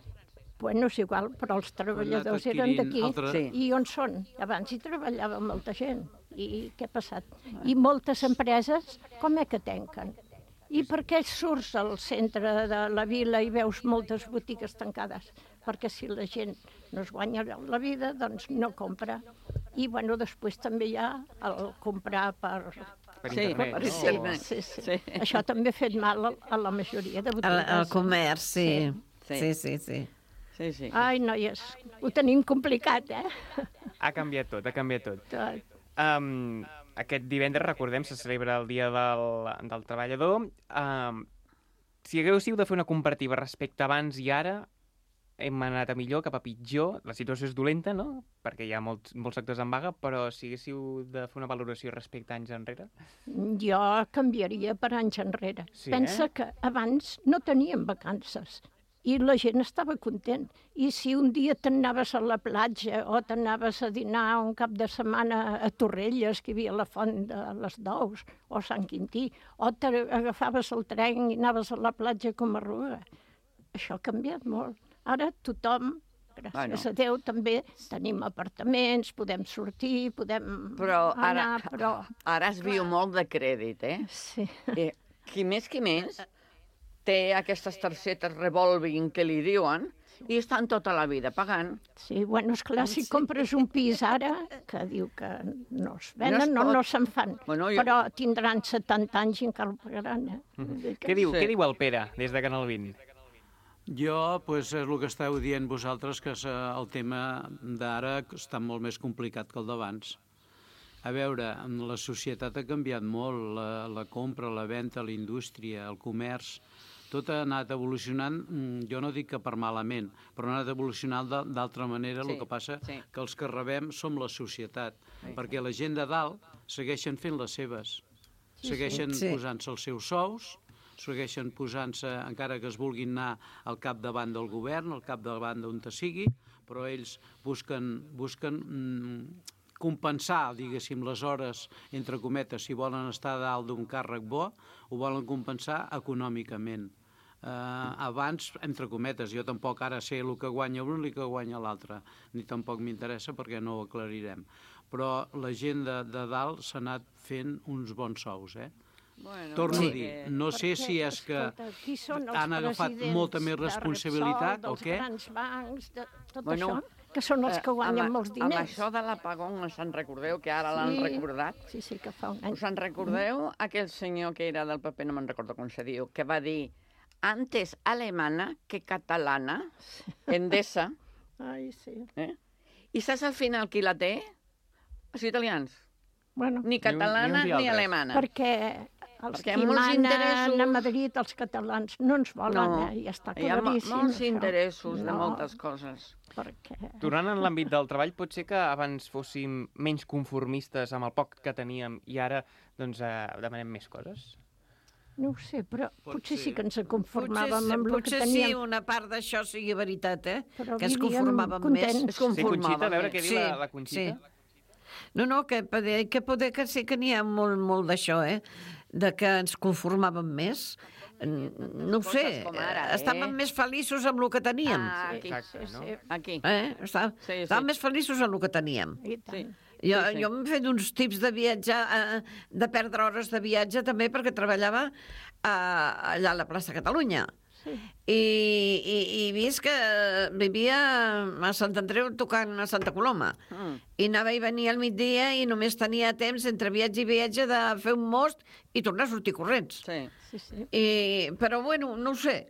Bueno, és igual, però els treballadors eren adquirint d'aquí. altre- Sí. I on són? Abans hi treballava molta gent. I què ha passat? I moltes empreses, com és que tanquen? I per què surts al centre de la vila i veus moltes botigues tancades? Perquè si la gent no es guanya la vida, doncs no compra. I, bueno, després també hi ha el comprar per... Per Sí, internet, per no? internet. Sí, sí. Sí. Això també ha fet mal a- a la majoria de Al, botigues. al comerç, sí. Sí. Sí, sí, sí. Sí, sí. Ai, noies, ho tenim complicat, eh? Ha canviat tot, ha canviat tot. Tot. Um, aquest divendres, recordem, se celebra el Dia del, del Treballador. Um, si haguéssiu de fer una comparativa respecte abans i ara, hem anat a millor, cap a pitjor. La situació és dolenta, no?, perquè hi ha molts, molts sectors en vaga, però si haguéssiu de fer una valoració respecte a anys enrere... Jo canviaria per anys enrere. Sí, Pensa eh? que abans no teníem vacances i la gent estava content. I si un dia t'anaves a la platja o t'anaves a dinar un cap de setmana a Torrelles, que hi havia la font de les Dous, o Sant Quintí, o t'agafaves el tren i anaves a la platja com a Ruga. Això ha canviat molt. Ara tothom, gràcies Bueno. a Déu, també tenim apartaments, podem sortir, podem Però anar, ara, però... ara es viu molt de crèdit, eh? Sí. Eh, qui més qui més té aquestes targetes revolving que li diuen i estan tota la vida pagant. Sí, bueno, esclar, si compres un pis ara, que diu que no es No venen, es no, pot. no se'n fan, Bueno, jo- però tindran setanta anys i encara el pagaran, eh? Vull dir que- Què diu, Sí. què diu el Pere, des de Canal vint? Jo, doncs, és el que esteu dient vosaltres, que és, eh, el tema d'ara està molt més complicat que el d'abans. A veure, la societat ha canviat molt, la, la compra, la venda, la indústria, el comerç, tot ha anat evolucionant, mm, jo no dic que per malament, però ha anat evolucionant d'al- d'altra manera, Sí, el que passa sí. que els que rebem som la societat, perquè la gent de dalt segueixen fent les seves, Sí, segueixen sí. posant-se els seus sous, segueixen posant-se, encara que es vulguin anar al capdavant del govern, al capdavant d'on te sigui, però ells busquen, busquen mm, compensar, diguéssim, les hores, entre cometes, si volen estar a dalt d'un càrrec bo, ho volen compensar econòmicament. Uh, abans, entre cometes, jo tampoc ara sé el que guanya un i el que guanya l'altre, ni tampoc m'interessa perquè no ho aclarirem. Però la gent de, de dalt s'ha anat fent uns bons sous, eh? Bueno, Torno sí. a dir, no sé Perquè, si és que escolta, qui són els han agafat presidents molta més de responsabilitat Repsol, o què? dels grans bancs, de tot Bueno, això, que són els eh, que guanyen amb, molts Amb diners. això de l'apagón, se'n recordeu, que ara l'han Sí. recordat? Sí, sí, que fa un any. Us en recordeu aquell senyor que era del P P, no me'n recordo com se diu, que va dir antes alemana que catalana, Endesa, Ai, sí. eh? I saps al final qui la té? Els italians. Bueno, Ni catalana ni ni, uns ni altres. alemana. perquè els Perquè hi ha qui molts manen interessos. a Madrid, els catalans, no ens volen, No, eh? Ja està hi ha mo- claríssim. molts això. interessos de No, moltes coses. Perquè... Tornant en l'àmbit del treball, pot ser que abans fóssim menys conformistes amb el poc que teníem i ara doncs, eh, demanem més coses? No ho sé, però Pot potser sí ser. que ens Potser, conformàvem amb el que potser teníem. sí, una part d'això sigui veritat, eh? Però que es vivíem conformàvem contents. més. Es Sí, conformava. Conxita, a veure què diu Sí, la, la Conxita. sí. No, no, que poder, que poder que sí que n'hi ha molt, molt d'això, eh? De que ens conformàvem més. no ho sé, com ara, estàvem eh? més feliços amb el que teníem. Ah, aquí. Exacte, no? Aquí. Eh? Estàvem, Sí, sí. estàvem més feliços amb el que teníem. I tant. Sí. Jo, Sí, sí. jo m'he fet uns tips de viatjar, eh, de perdre hores de viatge també perquè treballava eh, allà a la plaça Catalunya. Sí. I, i, i vist que vivia a Sant Andreu tocant a Santa Coloma. Mm. I anava i venia al migdia i només tenia temps entre viatge i viatge de fer un most i tornar a sortir corrents. Sí. Sí, sí. I, però bueno, no ho sé.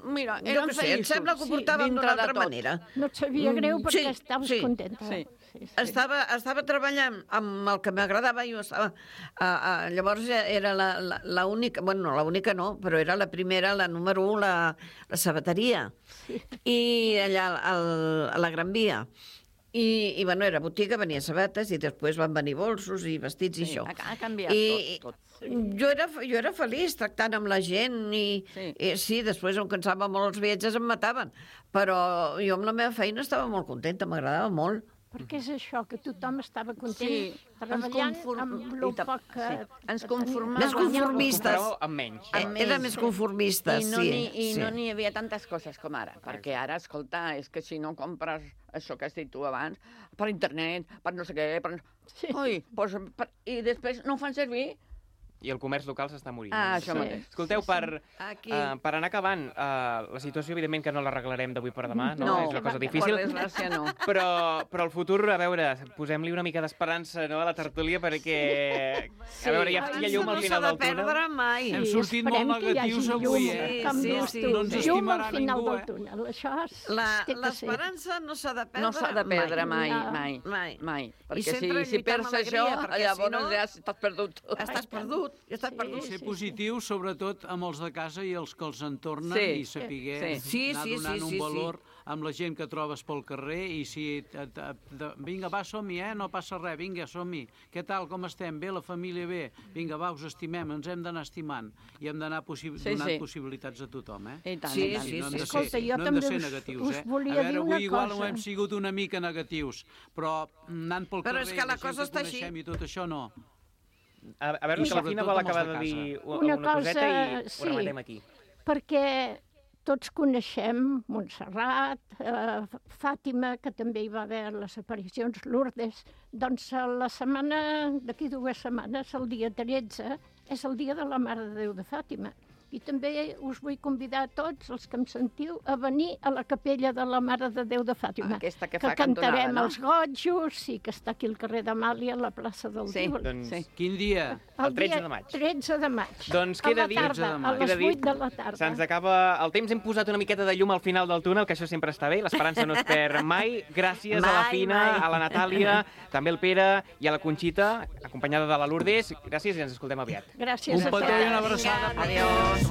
Mira, Jo eren què sé, em feliços. sembla que ho Sí, portàvem dintre d'una de altra tot. manera. No et sabia greu Mm, perquè sí, estaves sí. contenta. Sí. Sí, sí. Estava, estava treballant amb el que m'agradava, jo estava... A, a, llavors era la, la, la única, bueno, no, la única no, però era la primera, la número un, la, la sabateria. Sí. I allà al, a la Gran Via. I, i bueno, era botiga, venia sabates i després van venir bolsos i vestits i Sí, això. ha, ha canviat I, tot, tot. Jo era, jo era feliç tractant amb la gent i Sí. sí. i sí, després em cansava molt els viatges, em mataven, però jo amb la meva feina estava molt contenta, m'agradava molt. Perquè és això, que tothom estava content Sí, treballant ens conform- amb i el tam- poc que... sí, ens que conformàvem. tenia. Més conformistes. Compareu amb menys. Eh, Amb Era ells. més conformistes, I no sí. n'hi i sí. no n'hi havia tantes coses com ara, perquè ara, escolta, és que si no compres això que has dit tu abans, per internet, per no sé què, per... Sí. Ui, doncs, per... i després no ho fan servir. I el comerç local s'està morint. Ah, això Sí. mateix. Escolteu, per, Aquí. uh, per anar acabant, uh, la situació, evidentment, que no l'arreglarem d'avui per demà, no? No, és una cosa per difícil. desgràcia no. Però, però el futur, a veure, posem-li una mica d'esperança, no?, a la tertúlia, perquè... Sí. A veure, hi ha, hi ha llum al no final s'ha del de perdre túnel. mai. Hem sortit molt Esperem que hi hagi negatius llum, avui, eh? com Sí, dius sí, tu. no ens Llum estimarà al final ningú, del eh? túnel. Això és, La- té que ser. L'esperança no s'ha de perdre No s'ha de perdre mai, No. mai, Mai. mai. I Perquè si, sempre si lluitar amb perds això, alegria, perquè llavors si no- ja t'has perdut tot. Estàs perdut, ja estàs Sí, perdut. Ser positiu, sobretot amb els de casa i els que els entornen, Sí. i saber Sí. Sí, anar sí, donant sí, un sí, valor amb la gent que trobes pel carrer i si... Et, et, et, vinga, va, som-hi, eh? No passa res, vinga, som-hi. Què tal, com estem? Bé, la família bé? Vinga, va, us estimem, ens hem d'anar estimant i hem d'anar possi Sí, donant sí. possibilitats a tothom, eh? I tant, Sí, i tant. sí, no hem sí. de Escolta, ser, jo no hem de també ser us- negatius, us eh? volia a veure, dir avui una igual cosa. ho hem sigut una mica negatius, però anant pel Però carrer és que la i la gent cosa està així. coneixem i tot això no. A, a veure, I que la Fina sobretot vol amb els acabar de de dir casa. una, Una una coseta cosa, i sí. ho rematem aquí. Perquè tots coneixem Montserrat, eh, Fàtima, que també hi va haver les aparicions, Lourdes. Doncs a la setmana, d'aquí dues setmanes, el dia tretze, és el dia de la Mare de Déu de Fàtima. I també us vull convidar a tots els que em sentiu a venir a la capella de la Mare de Déu de Fàtima. Aquesta que que fa cantonada, cantarem no? els gotjos i que està aquí al carrer d'Amàlia, a la plaça del Sí, Tívoli. Doncs sí. Quin dia? El tretze dia de maig. tretze de maig. Doncs A queda la dit- tarda, tretze de a maig. les Queda dit, vuit de la tarda. Se'ns acaba el temps, hem posat una miqueta de llum al final del túnel, que això sempre està bé, l'esperança no es perd mai. Gràcies a la Mai, Fina, mai. a la Natàlia, també al Pere i a la Conxita, acompanyada de la Lourdes. Gràcies i ens escoltem aviat. Gràcies Un a petó i tots. una abraçada. Adéu.